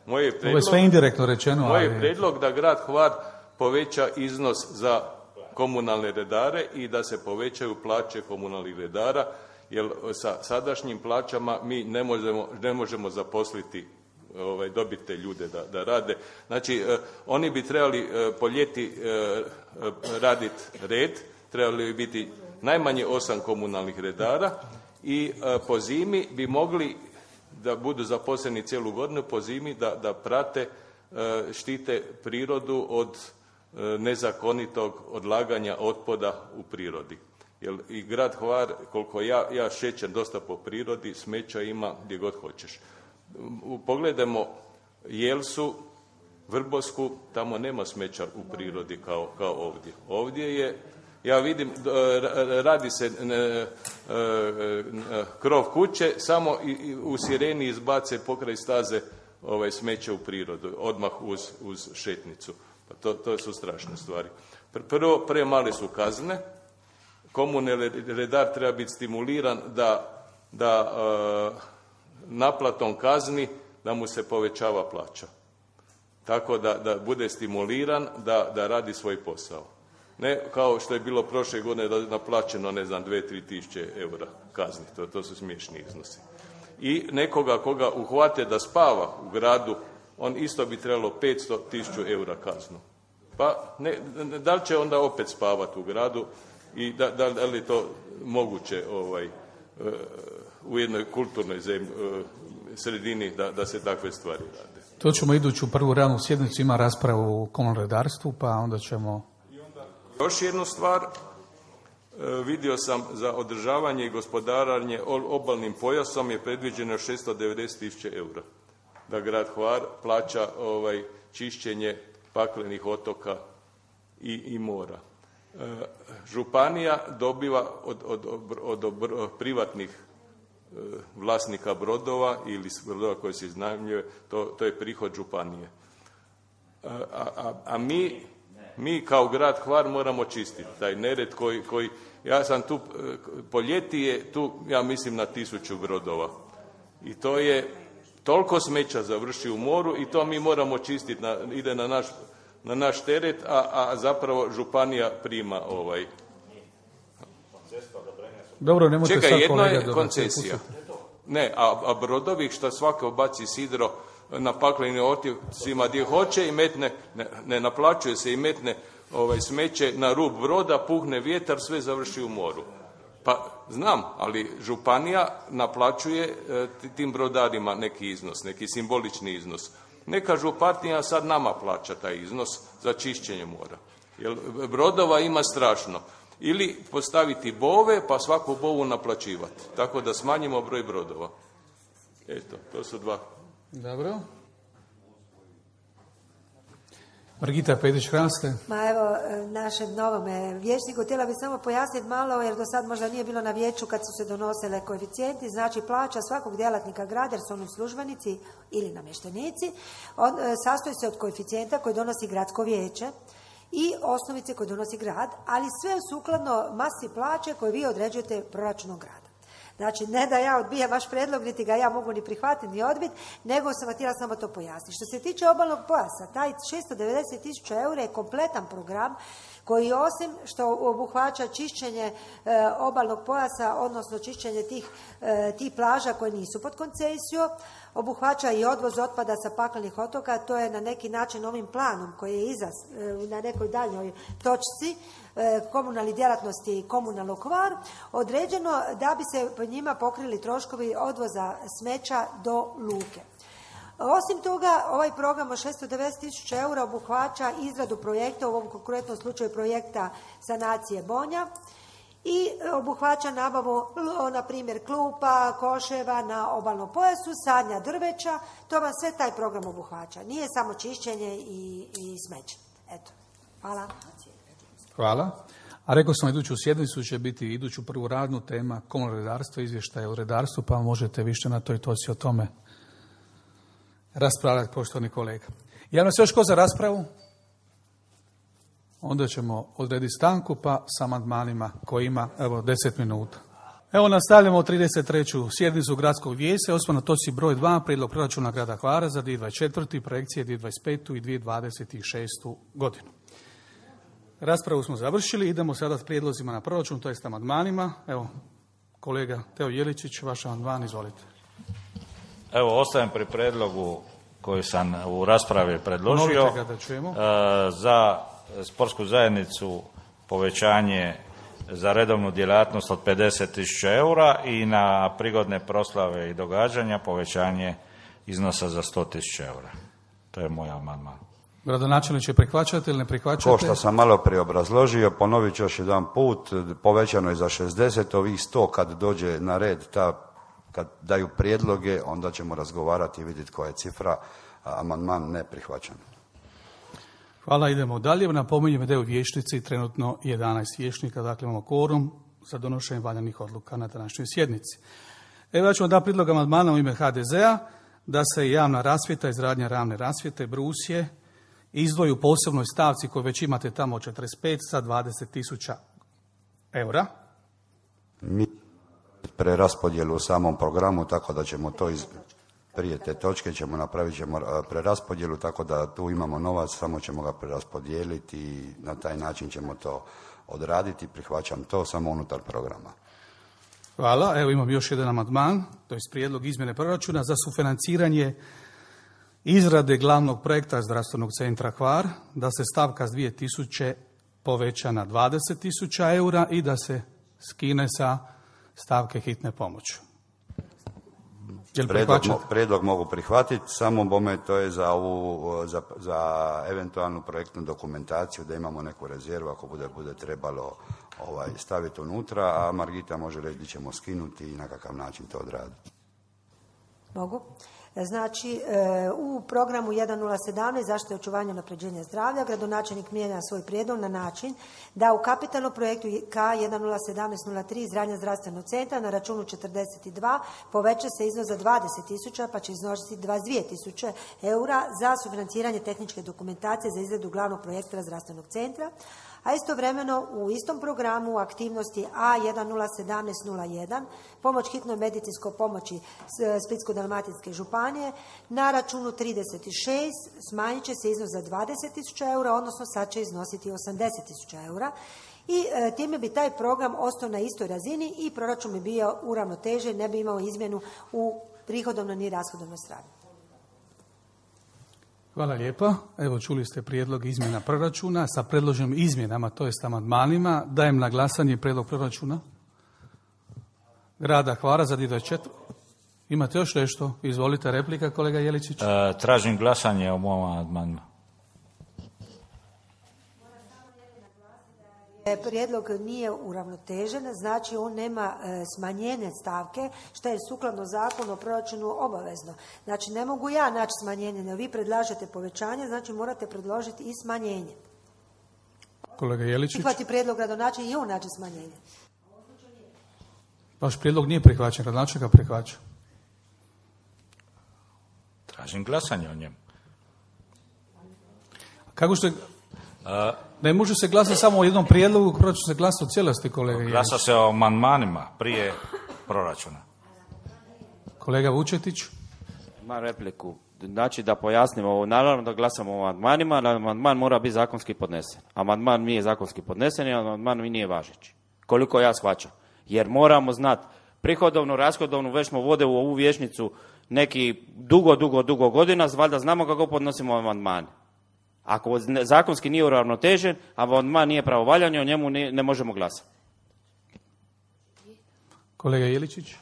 Ovo je sve indirektno rečeno. Moj je prijedlog da grad Hvar poveća iznos za komunalne redare i da se povećaju plaće komunalnih redara, jer sa sadašnjim plaćama mi ne možemo zaposliti, dobiti te ljude da rade. Znači, oni bi trebali po ljeti raditi red, trebali bi biti najmanje 8 komunalnih redara i po zimi bi mogli da budu zaposleni cijelu godinu, po zimi da prate, štite prirodu od nezakonitog odlaganja otpada u prirodi. Jer i grad Hvar, koliko ja šećem dosta po prirodi, smeća ima gdje god hoćeš. Pogledajmo Jelsu, Vrbosku, tamo nema smeća u prirodi kao ovdje. Ovdje je, ja vidim, radi se krov kuće, samo u sireni izbace pokraj staze smeće u prirodu, odmah uz šetnicu. Pa to su strašne stvari. Prvo, premale su kazne. Komunalni redar treba biti stimuliran da naplatom kazni da mu se povećava plaća. Tako da bude stimuliran da radi svoj posao. Ne kao što je bilo prošle godine da je naplaćeno, 2-3 tisuće eura kazni. To su smiješni iznosi. I nekoga koga uhvate da spava u gradu, on isto bi trebalo 500.000 eura kaznu. Pa da li će onda opet spavati u gradu i da li je to moguće u jednoj kulturnoj sredini da se takve stvari rade. To ćemo iduću prvu realnu sjednicu, ima raspravu o komunalnom redarstvu, pa onda ćemo... Još jednu stvar, vidio sam za održavanje i gospodaranje obalnim pojasom je predviđeno 690.000 eura. Da grad Hvar plaća čišćenje paklenih otoka i mora. Županija dobiva od privatnih vlasnika brodova ili brodova koji se iznajmljuje, to je prihod županije. A mi kao grad Hvar moramo čistiti taj nered koji ja sam tu, po ljeti je tu, ja mislim, na 1000 brodova. I to je toliko smeća završi u moru i to mi moramo čistiti, ide na naš teret, a zapravo županija prima Dobro, nemojte sad kolega... Čekaj, jedno je koncesija. Ne, a brodovi što svako baci sidro na paklenim otocima gdje hoće i metne, ne naplaćuje se i metne smeće na rub broda, puhne vjetar, sve završi u moru. Pa znam, ali županija naplaćuje tim brodarima neki iznos, neki simbolični iznos. Neka županija sad nama plaća taj iznos za čišćenje mora. Jer brodova ima strašno. ili postaviti bove pa svaku bovu naplaćivati. Tako da smanjimo broj brodova. Eto, to su dva. Dobro. Margita Petić-Hranske. Ma evo, našem novome vijećniku htjela bi samo pojasniti malo, jer do sad možda nije bilo na vijeću kad su se donosile koeficijenti, znači plaća svakog djelatnika grada, jer su oni službenici ili namještenici, sastoji se od koeficijenta koji donosi gradsko vijeće i osnovice koje donosi grad, ali sve sukladno masi plaće koje vi određujete proračunom grada. Znači, ne da ja odbijam vaš predlog, niti ga ja mogu ni prihvatiti, ni odbiti, nego sam htjela samo to pojasniti. Što se tiče obalnog pojasa, taj 690.000 eura je kompletan program koji osim što obuhvaća čišćenje obalnog pojasa, odnosno čišćenje tih plaža koje nisu pod koncesijom, obuhvaća i odvoz otpada sa paklenih otoka. To je na neki način ovim planom koji je iza na nekoj daljnjoj točci komunalnih djelatnosti i komunalnog kvar određeno da bi se po njima pokrili troškovi odvoza smeća do luke. Osim toga, ovaj program od 690.000 eura obuhvaća izradu projekta, u ovom konkretnom slučaju projekta sanacije Bonja, i obuhvaća nabavu, na primjer, klupa, koševa na obalnom pojasu, sadnja drveća, to vam sve taj program obuhvaća. Nije samo čišćenje i smeće. Eto, hvala. Hvala. A rekao sam, iduću sjednicu će biti iduću prvu radnu tema komunalno redarstvo, izvještaje o redarstvu, pa možete više na toj točci o tome raspravljati, poštovani kolega. Javno se još ko za raspravu? Onda ćemo odrediti stanku, pa sa amandmanima koji ima, 10 minuta. Evo, nastavljamo 33. sjednicu gradskog vijeća, osnovna točci broj 2, prijedlog proračuna grada Hvara za 2024. projekcije 2025. i 2026. godinu. Raspravu smo završili, idemo sada s prijedlozima na proračun, to jest amandmanima. Evo, kolega Teo Jeličić, vaš amandman, izvolite. Evo, ostajem pri predlogu koji sam u raspravi predložio. Ponovite ga da čujemo. Za sportsku zajednicu povećanje za redovnu djelatnost od 50.000 eura i na prigodne proslave i događanja povećanje iznosa za 100.000 eura. To je moj amandman. Gradonačelniče, prihvaćate ili ne prihvaćate? Ko što sam malo prije obrazložio, ponovit ću još jedan put, povećano je za 60, ovih 100 kad dođe na red, kad daju prijedloge, onda ćemo razgovarati i vidjeti koja je cifra, amandman ne prihvaćan. Hvala, idemo dalje. Napominjem da je u vijećnici trenutno 11 vijećnika, dakle imamo kvorum za donošenje valjanih odluka na današnjoj sjednici. Evo, ja ću vam dati prijedlog amandmana u ime HDZ-a da se javna rasvjeta, izgradnja javne rasvjete, brusje, izdvoji u posebnoj stavci koju već imate tamo od 45 sa 20.000 eura. Mi preraspodjelu u samom programu, tako da ćemo to prije te točke napravit ćemo preraspodjelu, tako da tu imamo novac, samo ćemo ga preraspodijeliti i na taj način ćemo to odraditi. Prihvaćam to samo unutar programa. Hvala. Evo imam još jedan amandman, to je prijedlog izmjene proračuna za sufinanciranje izrade glavnog projekta zdravstvenog centra Hvar, da se stavka s 2.000 poveća na 20.000 eura i da se skine sa stavke hitne pomoći. Prijedlog mogu prihvatiti, samo bome to je za eventualnu projektnu dokumentaciju, da imamo neku rezervu ako bude trebalo staviti unutra, a Margita može reći da ćemo skinuti i na kakav način to odraditi. Mogu? Znači, u programu 1017 zaštite i očuvanja unapređenja zdravlja gradonačelnik mijenja svoj prijedlog na način da u kapitalnom projektu K101703 izgradnja zdravstvenog centra na računu 42 poveća se iznos za 20.000 pa će iznositi 22.000 eura za sufinanciranje tehničke dokumentacije za izradu glavnog projekta zdravstvenog centra, a istovremeno u istom programu aktivnosti A101701 pomoć hitnoj medicinskoj pomoći Splitsko-dalmatinske županije na računu 36 smanjit će se iznos za 20.000 eura, odnosno sad će iznositi 80.000 eura i time bi taj program ostao na istoj razini i proračun bi bio uravnotežen, ne bi imao izmjenu u prihodovnoj ni rashodovnoj strani. Hvala lijepa. Evo, čuli ste prijedlog izmjena proračuna sa predloženim izmjenama, to jest amandmanima. Dajem na glasanje prijedlog proračuna grada Hvara za 2024. Imate još nešto? Izvolite, replika, kolega Jeličić. Tražim glasanje o mom amandmanu. Prijedlog nije uravnotežen, znači on nema smanjenje stavke, što je sukladno zakonu o proračunu obavezno. Znači ne mogu ja naći smanjenje, nego vi predlažete povećanje, znači morate predložiti i smanjenje. Kolega Jeličić. Prihvati prijedlog gradonačelnika i on naći smanjenje. Vaš prijedlog nije prihvaćen, gradonačelnik ga prihvaća. Tražim glasanje o njemu. Kako ste... Ne može se glasati samo o jednom prijedlogu, proračun se glasa o cijelosti, kolega Jelić. Glasa se o amandmanima prije proračuna. Kolega Vučetić. Imam repliku. Znači da pojasnimo, naravno da glasamo o amandmanima, ali amandman mora biti zakonski podnesen. Amandman nije zakonski podnesen i amandman nije važeći. Koliko ja shvaćam. Jer moramo znati prihodovnu, rashodovnu, već smo vode u ovu vijećnicu neki dugo godina, valjda znamo kako podnosimo amandmane. Ako zakonski nije uravnotežen, a amandman nije pravovaljan, o njemu ne možemo glasati. Kolega Jeličić.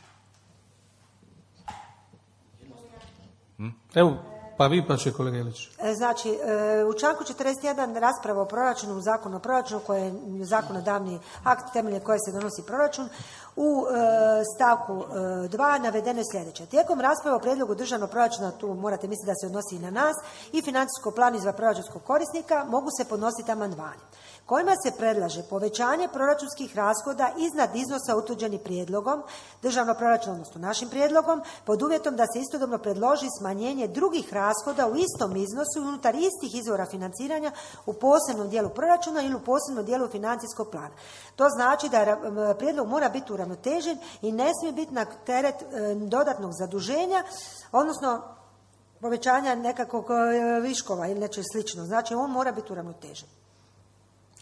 Evo, pa vi pa će kolega Jelić. Znači, u članku 41 rasprava o proračunu, zakon o proračunu, koji je zakonodavni akt temeljem koje se donosi proračun, u stavku 2 navedeno je sljedeće. Tijekom rasprave o prijedlogu državnog proračuna, tu morate misliti da se odnosi i na nas, i financijsko plan izva proračunskog korisnika, mogu se podnositi amandmani kojima se predlaže povećanje proračunskih rashoda iznad iznosa utvrđenih prijedlogom državnog proračuna, odnosno našim prijedlogom, pod uvjetom da se istodobno predloži smanjenje drugih rashoda u istom iznosu unutar istih izvora financiranja u posebnom dijelu proračuna ili u posebnom dijelu financijskog plana. To znači da prijedlog mora biti uravnotežen i ne smije biti na teret dodatnog zaduženja, odnosno povećanja nekakvog viškova ili nečeg slično. Znači on mora biti uravnotežen.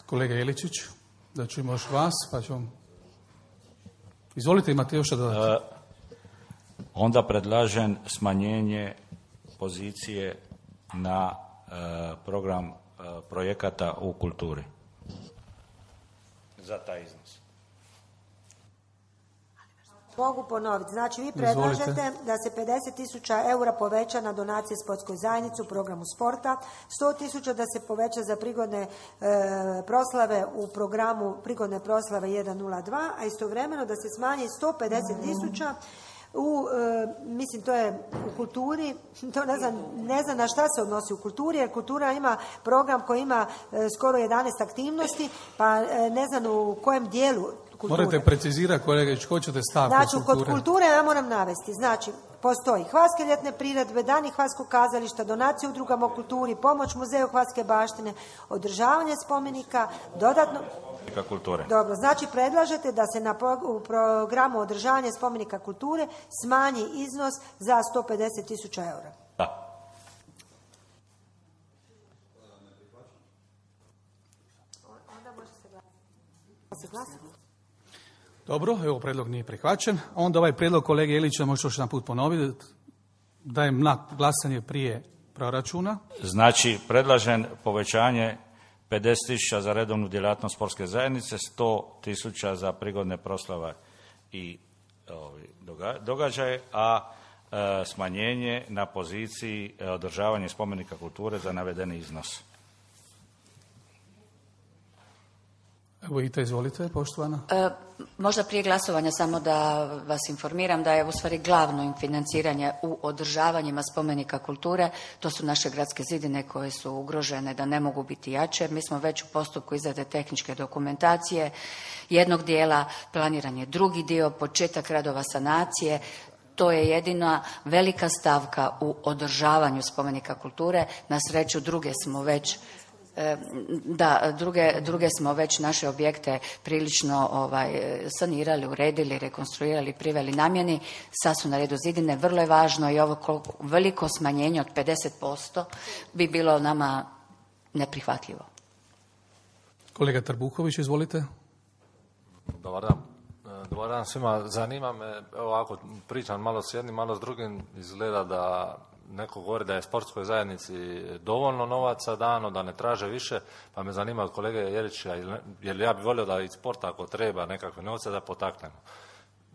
Kolega Jeličić, da čujemo još vas, pa ćemo... Izvolite, imate još što dodati. Onda predlažem smanjenje pozicije na program projekata u kulturi. Za taj iznos. Mogu ponoviti. Znači, vi predlažete da se 50.000 eura poveća na donacije sportskoj zajednici u programu sporta, 100.000 da se poveća za prigodne proslave u programu prigodne proslave 102, a istovremeno da se smanji 150.000 mislim to je u kulturi, to ne znam na šta se odnosi u kulturi, jer kultura ima program koji ima skoro 11 aktivnosti, pa ne znam u kojem dijelu kulture. Morate precizirati, kolega, ko ćete staviti znači, kod kulture ja moram navesti, znači, postoji Hvarske ljetne priredbe, dani Hvarskog kazališta, donacije udrugama u kulturi, pomoć muzeju Hvarske baštine, održavanje spomenika, dodatno... kulture. Dobro, znači predlažete da se u programu održavanja spomenika kulture smanji iznos za 150.000 eura. Da. Dobro, evo prijedlog nije prihvaćen. Onda ovaj prijedlog kolege Ilića možete još jedan put ponoviti. Dajem na glasanje prije proračuna. Znači, predlažem povećanje 50.000 za redovnu djelatnost sportske zajednice, 100.000 za prigodne proslave i događaje, a smanjenje na poziciji održavanja spomenika kulture za navedeni iznos. Evo Ita, izvolite, poštovana. Možda prije glasovanja samo da vas informiram da je u stvari glavno financiranje u održavanjima spomenika kulture, to su naše gradske zidine koje su ugrožene da ne mogu biti jače. Mi smo već u postupku izrade tehničke dokumentacije jednog dijela, planiran je drugi dio, početak radova sanacije. To je jedina velika stavka u održavanju spomenika kulture. Na sreću druge smo već naše objekte prilično sanirali, uredili, rekonstruirali, priveli namjeni. Sad su na redu zidine. Vrlo je važno i ovo veliko smanjenje od 50% bi bilo nama neprihvatljivo. Kolega Trbuhović, izvolite. Dobar dan. Dobar dan svima. Zanima me, evo ako pričam malo s jednim, malo s drugim, izgleda da neko govori da je sportskoj zajednici dovoljno novaca dano, da ne traže više, pa me zanima od kolege Jelića, jer ja bih volio da iz sporta ako treba nekakve novce da potaknemo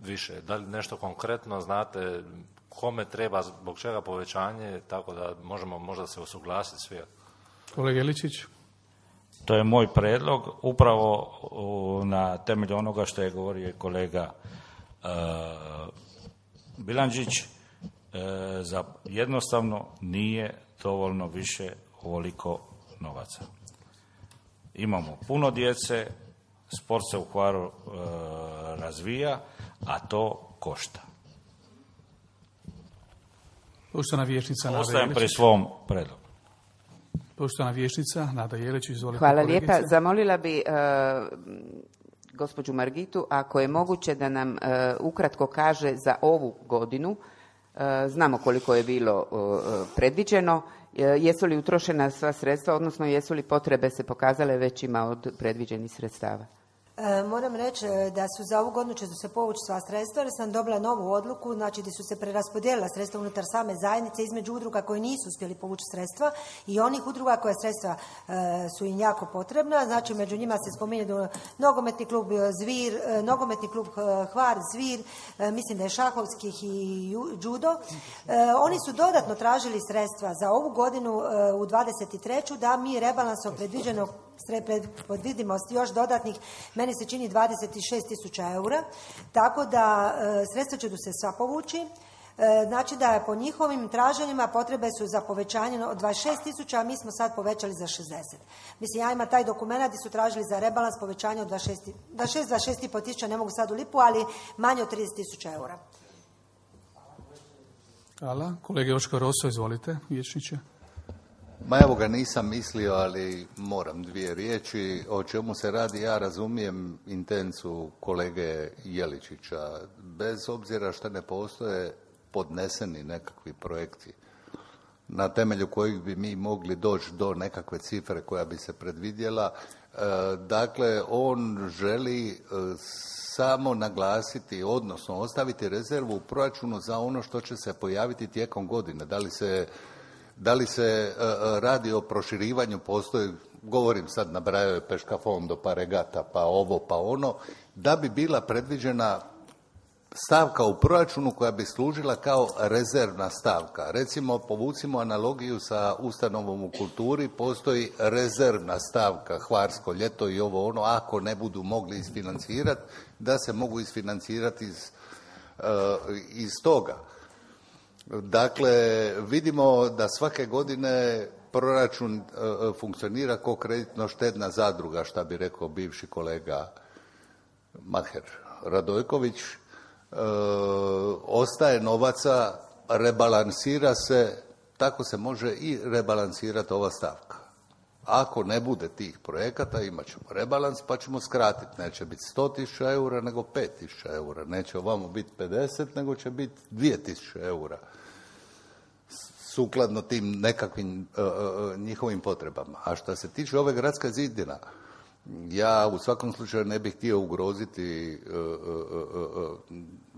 više. Da li nešto konkretno znate kome treba, zbog čega povećanje, tako da možemo možda se usuglasiti svi. Kolega Jeličić. To je moj predlog, upravo na temelju onoga što je govorio i kolega Bilandžić, za jednostavno nije dovoljno više ovoliko novaca. Imamo puno djece, sport se u Hvaru razvija, a to košta. Poštovana vijećnica Nada Jelić. Ostajem pri svom predlogu. Poštovana vijećnica Nada Jelić, izvolite. Hvala lijepa. Zamolila bi gospođu Margitu, ako je moguće da nam ukratko kaže za ovu godinu, znamo koliko je bilo predviđeno, jesu li utrošena sva sredstva, odnosno jesu li potrebe se pokazale većima od predviđenih sredstava? Moram reći da su za ovu godinu će se povući sva sredstva, jer sam dobila novu odluku, znači gdje su se preraspodijelila sredstva unutar same zajednice između udruga koje nisu uspjeli povući sredstva i onih udruga koje sredstva su im jako potrebna. Znači među njima se spominje nogometni klub Zvir, nogometni klub Hvar, Zvir, mislim da je šahovskih i judo. Oni su dodatno tražili sredstva za ovu godinu u 23. da mi rebalansom predvidimo još dodatnih, meni se čini 26.000 eura, tako da sredstva će se sva povući. Znači da je po njihovim traženjima potrebe su za povećanje od 26.000, a mi smo sad povećali za 60. Mislim, ja imam taj dokument gdje su tražili za rebalans povećanje od 26,5 tisuća, ne mogu sad u lipu, ali manje od 30.000 eura. Hvala. Kolega Joško Roso, izvolite, vijećniče. Ma evo ga, nisam mislio, ali moram dvije riječi. O čemu se radi, ja razumijem intencu kolege Jeličića. Bez obzira što ne postoje podneseni nekakvi projekti na temelju kojih bi mi mogli doći do nekakve cifre koja bi se predvidjela. Dakle, on želi samo naglasiti, odnosno ostaviti rezervu u proračunu za ono što će se pojaviti tijekom godine. Da li se radi o proširivanju, postoji, govorim sad, nabrajao je Peška Fondo, pa regata, pa ovo, pa ono, da bi bila predviđena stavka u proračunu koja bi služila kao rezervna stavka. Recimo, povucimo analogiju sa ustanovom u kulturi, postoji rezervna stavka, Hvarsko ljeto i ovo ono, ako ne budu mogli isfinancirati, da se mogu isfinancirati iz toga. Dakle, vidimo da svake godine proračun funkcionira kao kreditno-štedna zadruga, šta bi rekao bivši kolega Maher Radojković. Ostaje novaca, rebalansira se, tako se može i rebalansirati ova stavka. Ako ne bude tih projekata, imat ćemo rebalans pa ćemo skratiti. Neće biti 100.000 eura, nego 5.000 eura. Neće ovamo biti 50, nego će biti 2.000 eura. Sukladno tim nekakvim njihovim potrebama. A što se tiče ove gradske zidina, ja u svakom slučaju ne bih htio ugroziti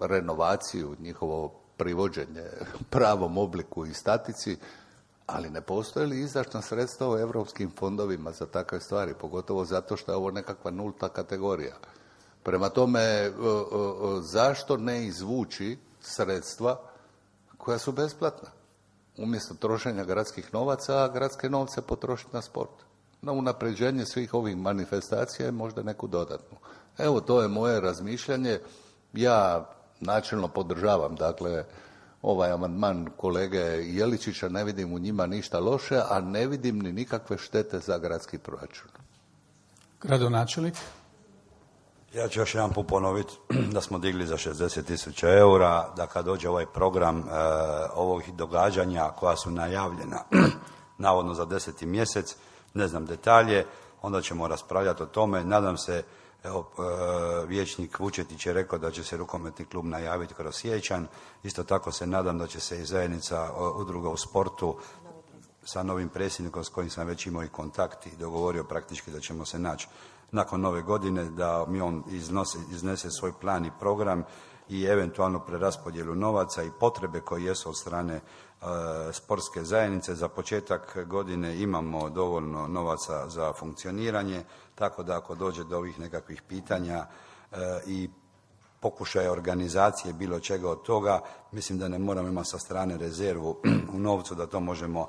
renovaciju, njihovo privođenje pravom obliku i statici, ali ne postoje li izdašna sredstva u europskim fondovima za takve stvari, pogotovo zato što je ovo nekakva nulta kategorija. Prema tome, zašto ne izvući sredstva koja su besplatna? Umjesto trošenja gradskih novaca, a gradske novce potrošiti na sport. Na unapređenje svih ovih manifestacija je možda neku dodatnu. Evo, to je moje razmišljanje. Ja načelno podržavam, dakle, ovaj amandman kolege Jeličića, ne vidim u njima ništa loše, a ne vidim ni nikakve štete za gradski proračun. Gradonačelnik? Ja ću još jedan put ponoviti da smo digli za 60.000 eura, da kad dođe ovaj program ovih događanja koja su najavljena navodno za 10. mjesec, ne znam detalje, onda ćemo raspravljati o tome. Nadam se, evo, vijećnik Vučetić je rekao da će se rukometni klub najaviti kroz siječanj. Isto tako se nadam da će se i zajednica udruga u sportu sa novim predsjednikom s kojim sam već imao i kontakt i dogovorio praktički da ćemo se naći nakon nove godine, da mi on iznese svoj plan i program i eventualno preraspodjelu novaca i potrebe koje jesu od strane sportske zajednice. Za početak godine imamo dovoljno novaca za funkcioniranje, tako da ako dođe do ovih nekakvih pitanja i pokušaja organizacije bilo čega od toga, mislim da ne moramo imati sa strane rezervu u novcu, da to možemo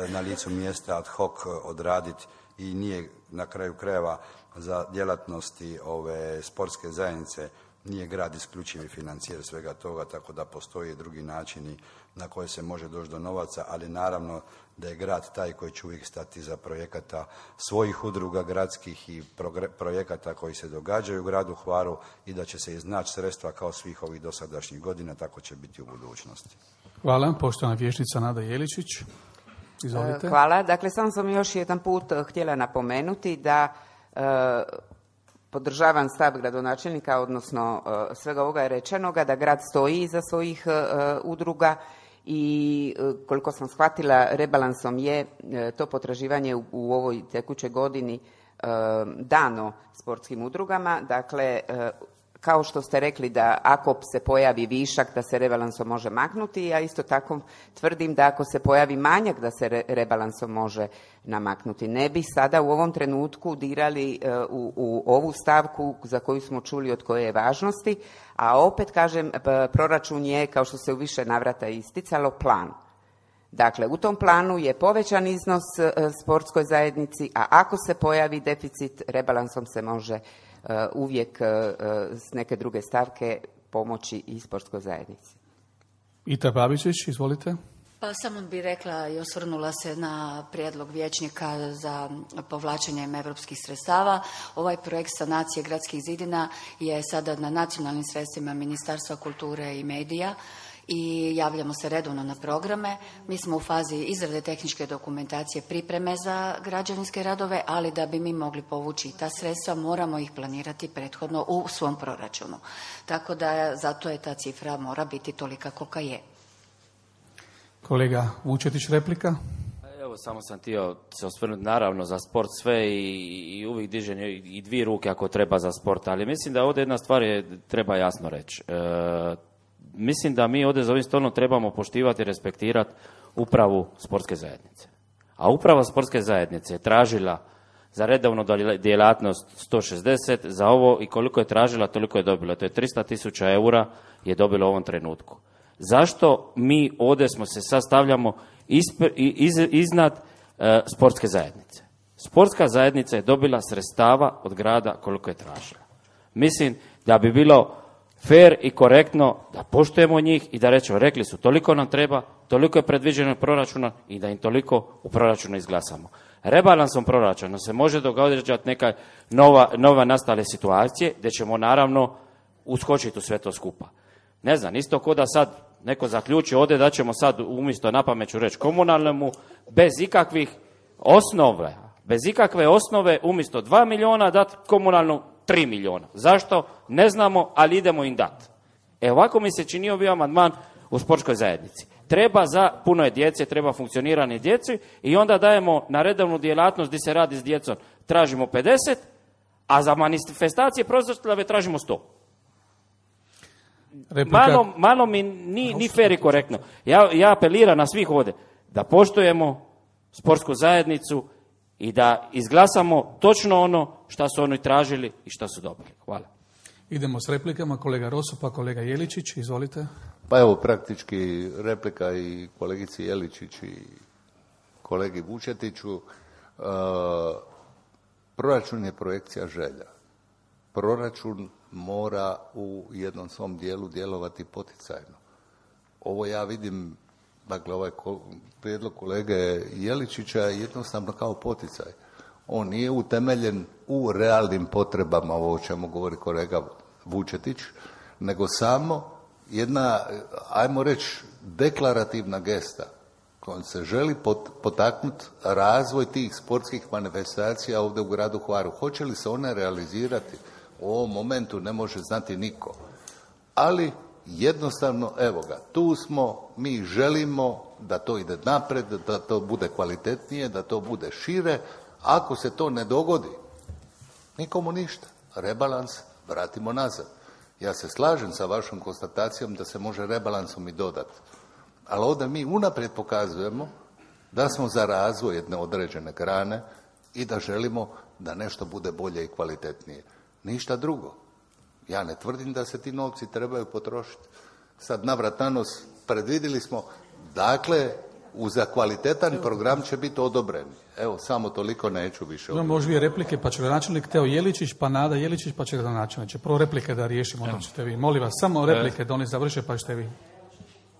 na licu mjesta ad hoc odraditi i nije na kraju krajeva za djelatnosti ove sportske zajednice, nije grad isključivi financijer svega toga, tako da postoje drugi načini na koje se može doći do novaca, ali naravno da je grad taj koji će uvijek stati za projekata svojih udruga gradskih i projekata koji se događaju u gradu Hvaru i da će se iznaći sredstva kao svih ovih dosadašnjih godina, tako će biti u budućnosti. Hvala. Poštovana vijećnica Nada Jeličić. Izvolite. Hvala. Dakle, samo sam još jedan put htjela napomenuti da podržavam stav gradonačelnika, odnosno svega ovoga je rečenoga, da grad stoji iza svojih udruga i koliko sam shvatila, rebalansom je to potraživanje u ovoj tekućoj godini dano sportskim udrugama. Dakle, kao što ste rekli da ako se pojavi višak da se rebalansom može maknuti, ja isto tako tvrdim da ako se pojavi manjak da se rebalansom može namaknuti. Ne bi sada u ovom trenutku dirali u ovu stavku za koju smo čuli od koje je važnosti, a opet kažem, proračun je, kao što se u više navrata isticalo, plan. Dakle, u tom planu je povećan iznos sportskoj zajednici, a ako se pojavi deficit, rebalansom se može uvijek s neke druge stavke pomoći i sportskoj zajednici. Ita Babičić, izvolite. Pa samo bih rekla i osvrnula se na prijedlog vijećnika za povlačenjem europskih sredstava. Ovaj projekt sanacije gradskih zidina je sada na nacionalnim sredstvima Ministarstva kulture i medija i javljamo se redovno na programe. Mi smo u fazi izrade tehničke dokumentacije, pripreme za građevinske radove, ali da bi mi mogli povući ta sredstva moramo ih planirati prethodno u svom proračunu. Tako da zato je ta cifra mora biti tolika kolika je. Kolega Vučetić, replika. Evo, samo sam htio se osvrnuti naravno za sport sve i uvijek dižem i dvije ruke ako treba za sport, ali mislim da ovdje jedna stvar treba jasno reći. Mislim da mi ovdje za ovim stolom trebamo poštivati i respektirati upravu sportske zajednice. A uprava sportske zajednice je tražila za redovnu djelatnost 160, za ovo i koliko je tražila, toliko je dobila. To je 300.000 eura je dobilo u ovom trenutku. Zašto mi ovdje smo se sastavljamo iznad sportske zajednice? Sportska zajednica je dobila sredstava od grada koliko je tražila. Mislim da bi bilo fair i korektno da poštujemo njih i da rećemo, rekli su toliko nam treba, toliko je predviđeno proračuna i da im toliko u proračunu izglasamo. Rebalansom proračuna se može događati neka nova nastale situacije gdje ćemo naravno uskočiti u sve to skupa. Ne znam, isto ko da sad neko zaključi ovdje da ćemo sad umjesto napamet ću reći komunalnemu bez ikakve osnove umjesto 2 milijuna dati komunalnu 3 milijuna. Zašto? Ne znamo, ali idemo im dati. Ovako mi se činio bio amandman u sportskoj zajednici. Treba za puno je djece, treba funkcioniranje djeci i onda dajemo na redovnu djelatnost gdje se radi s djecom tražimo 50, a za manifestacije proslave tražimo 100. Malo mi ni fair i korektno. Ja apeliram na svih ovdje da poštujemo sportsku zajednicu i da izglasamo točno ono što su oni tražili i što su dobili. Hvala. Idemo s replikama. Kolega Roso pa kolega Jeličić, izvolite. Pa evo praktički replika i kolegici Jeličić i kolegi Vučetiću. Proračun je projekcija želja. Proračun mora u jednom svom dijelu djelovati poticajno. Ovo ja vidim, dakle ovaj prijedlog kolege Jeličića je jednostavno kao poticaj. On nije utemeljen u realnim potrebama, ovo o čemu govori kolega Vučetić, nego samo jedna, ajmo reći, deklarativna gesta kojom se želi potaknuti razvoj tih sportskih manifestacija ovdje u gradu Hvaru. Hoće li se one realizirati? U ovom momentu ne može znati niko. Ali jednostavno, evo ga, tu smo, mi želimo da to ide napred, da to bude kvalitetnije, da to bude šire. Ako se to ne dogodi, nikomu ništa. Rebalans vratimo nazad. Ja se slažem sa vašom konstatacijom da se može rebalansom i dodati. Ali ovdje mi unaprijed pokazujemo da smo za razvoj jedne određene grane i da želimo da nešto bude bolje i kvalitetnije. Ništa drugo. Ja ne tvrdim da se ti novci trebaju potrošiti. Sad navrat na nos predvidjeli smo, dakle, Za kvalitetan program će biti odobreni. Evo, samo toliko, neću više. Imamo još dvije replike, pa će gradonačelnik Teo Jeličić, pa Nada Jeličić, pa će gradonačelnik. Prvo replike da riješimo, onda ćete vi. Molim vas, samo replike da oni završe, pa ćete vi.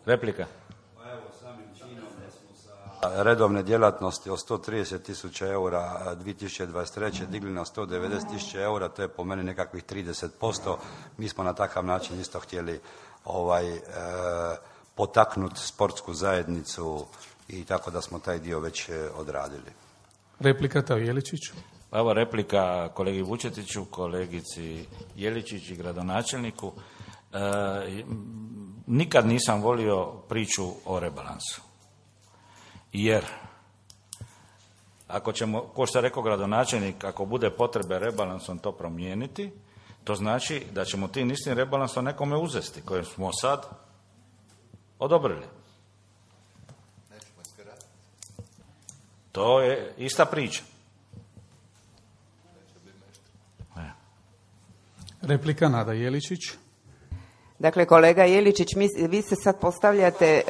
Replika. Redovne djelatnosti od 130.000 eura 2023. digli na 190.000 eura, to je po meni nekakvih 30%. Mi smo na takav način isto htjeli potaknuti sportsku zajednicu i tako da smo taj dio već odradili. Replika Teo Jeličić. Pa evo replika kolegi Vučetiću, kolegici Jeličić i gradonačelniku. Nikad nisam volio priču o rebalansu. Jer ako ćemo, ko što je rekao gradonačelnik, ako bude potrebe rebalansom to promijeniti, to znači da ćemo tim istim rebalansom nekome uzesti, koje smo sad odobrili. To je ista priča. Replika Nada Jeličić. Dakle, kolega Jeličić, vi se sad postavljate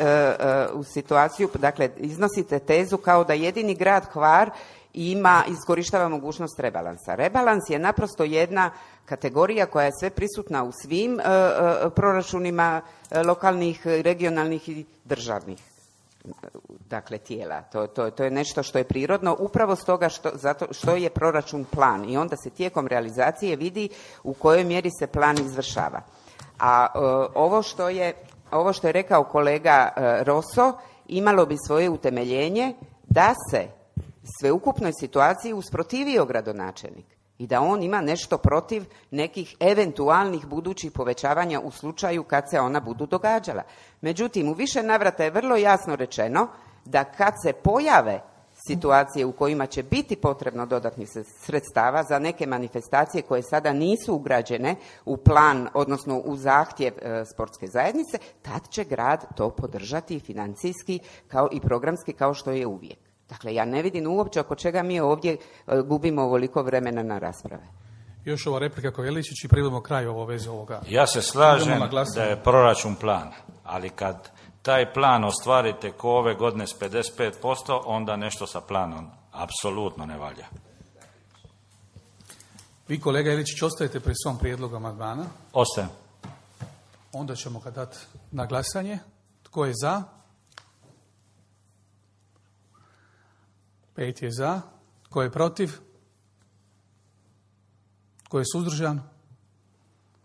u situaciju, dakle, iznosite tezu kao da jedini grad Hvar iskorištava mogućnost rebalansa. Rebalans je naprosto jedna kategorija koja je sve prisutna u svim proračunima lokalnih, regionalnih i državnih, dakle, tijela. To je nešto što je prirodno, upravo stoga što je proračun plan i onda se tijekom realizacije vidi u kojoj mjeri se plan izvršava. A ovo što je rekao kolega Roso imalo bi svoje utemeljenje da se sveukupnoj situaciji usprotivio gradonačelnik i da on ima nešto protiv nekih eventualnih budućih povećavanja u slučaju kad se ona budu događala. Međutim, u više navrata je vrlo jasno rečeno da kad se pojave situacije u kojima će biti potrebno dodatnih sredstava za neke manifestacije koje sada nisu ugrađene u plan, odnosno u zahtjev sportske zajednice, tad će grad to podržati financijski kao i programski kao što je uvijek. Dakle, ja ne vidim uopće oko čega mi ovdje gubimo ovoliko vremena na rasprave. Još ova replika koja Jeličić i privodimo kraju ovo veze ovoga. Ja se slažem da je proračun plan, ali kad taj plan ostvarite ko ove godine s 55%, onda nešto sa planom apsolutno ne valja. Vi, kolega Jeličić, ostajete pri svom prijedlogu amandmana? Ostajem. Onda ćemo ga dati na glasanje. Tko je za? 5 je za. Tko je protiv? Tko je suzdržan?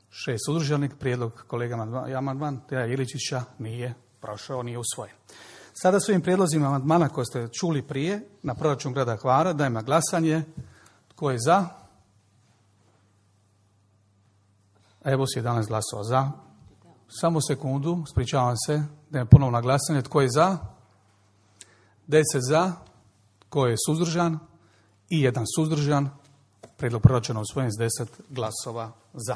6 suzdržanih. Prijedlog kolega amandman Teja Jeličića nije prošao, nije usvojen. Sada s ovim prijedlozima amandmana koje ste čuli prije na proračun grada Hvara dajem na glasanje. Tko je za? Evo 11 glasova za. Samo sekundu, ispričavam se, dajem ponovno na glasanje. Tko je za? 10 za. Tko je suzdržan? I 1 suzdržan. Prijedlog proračuna usvojen s 10 glasova za.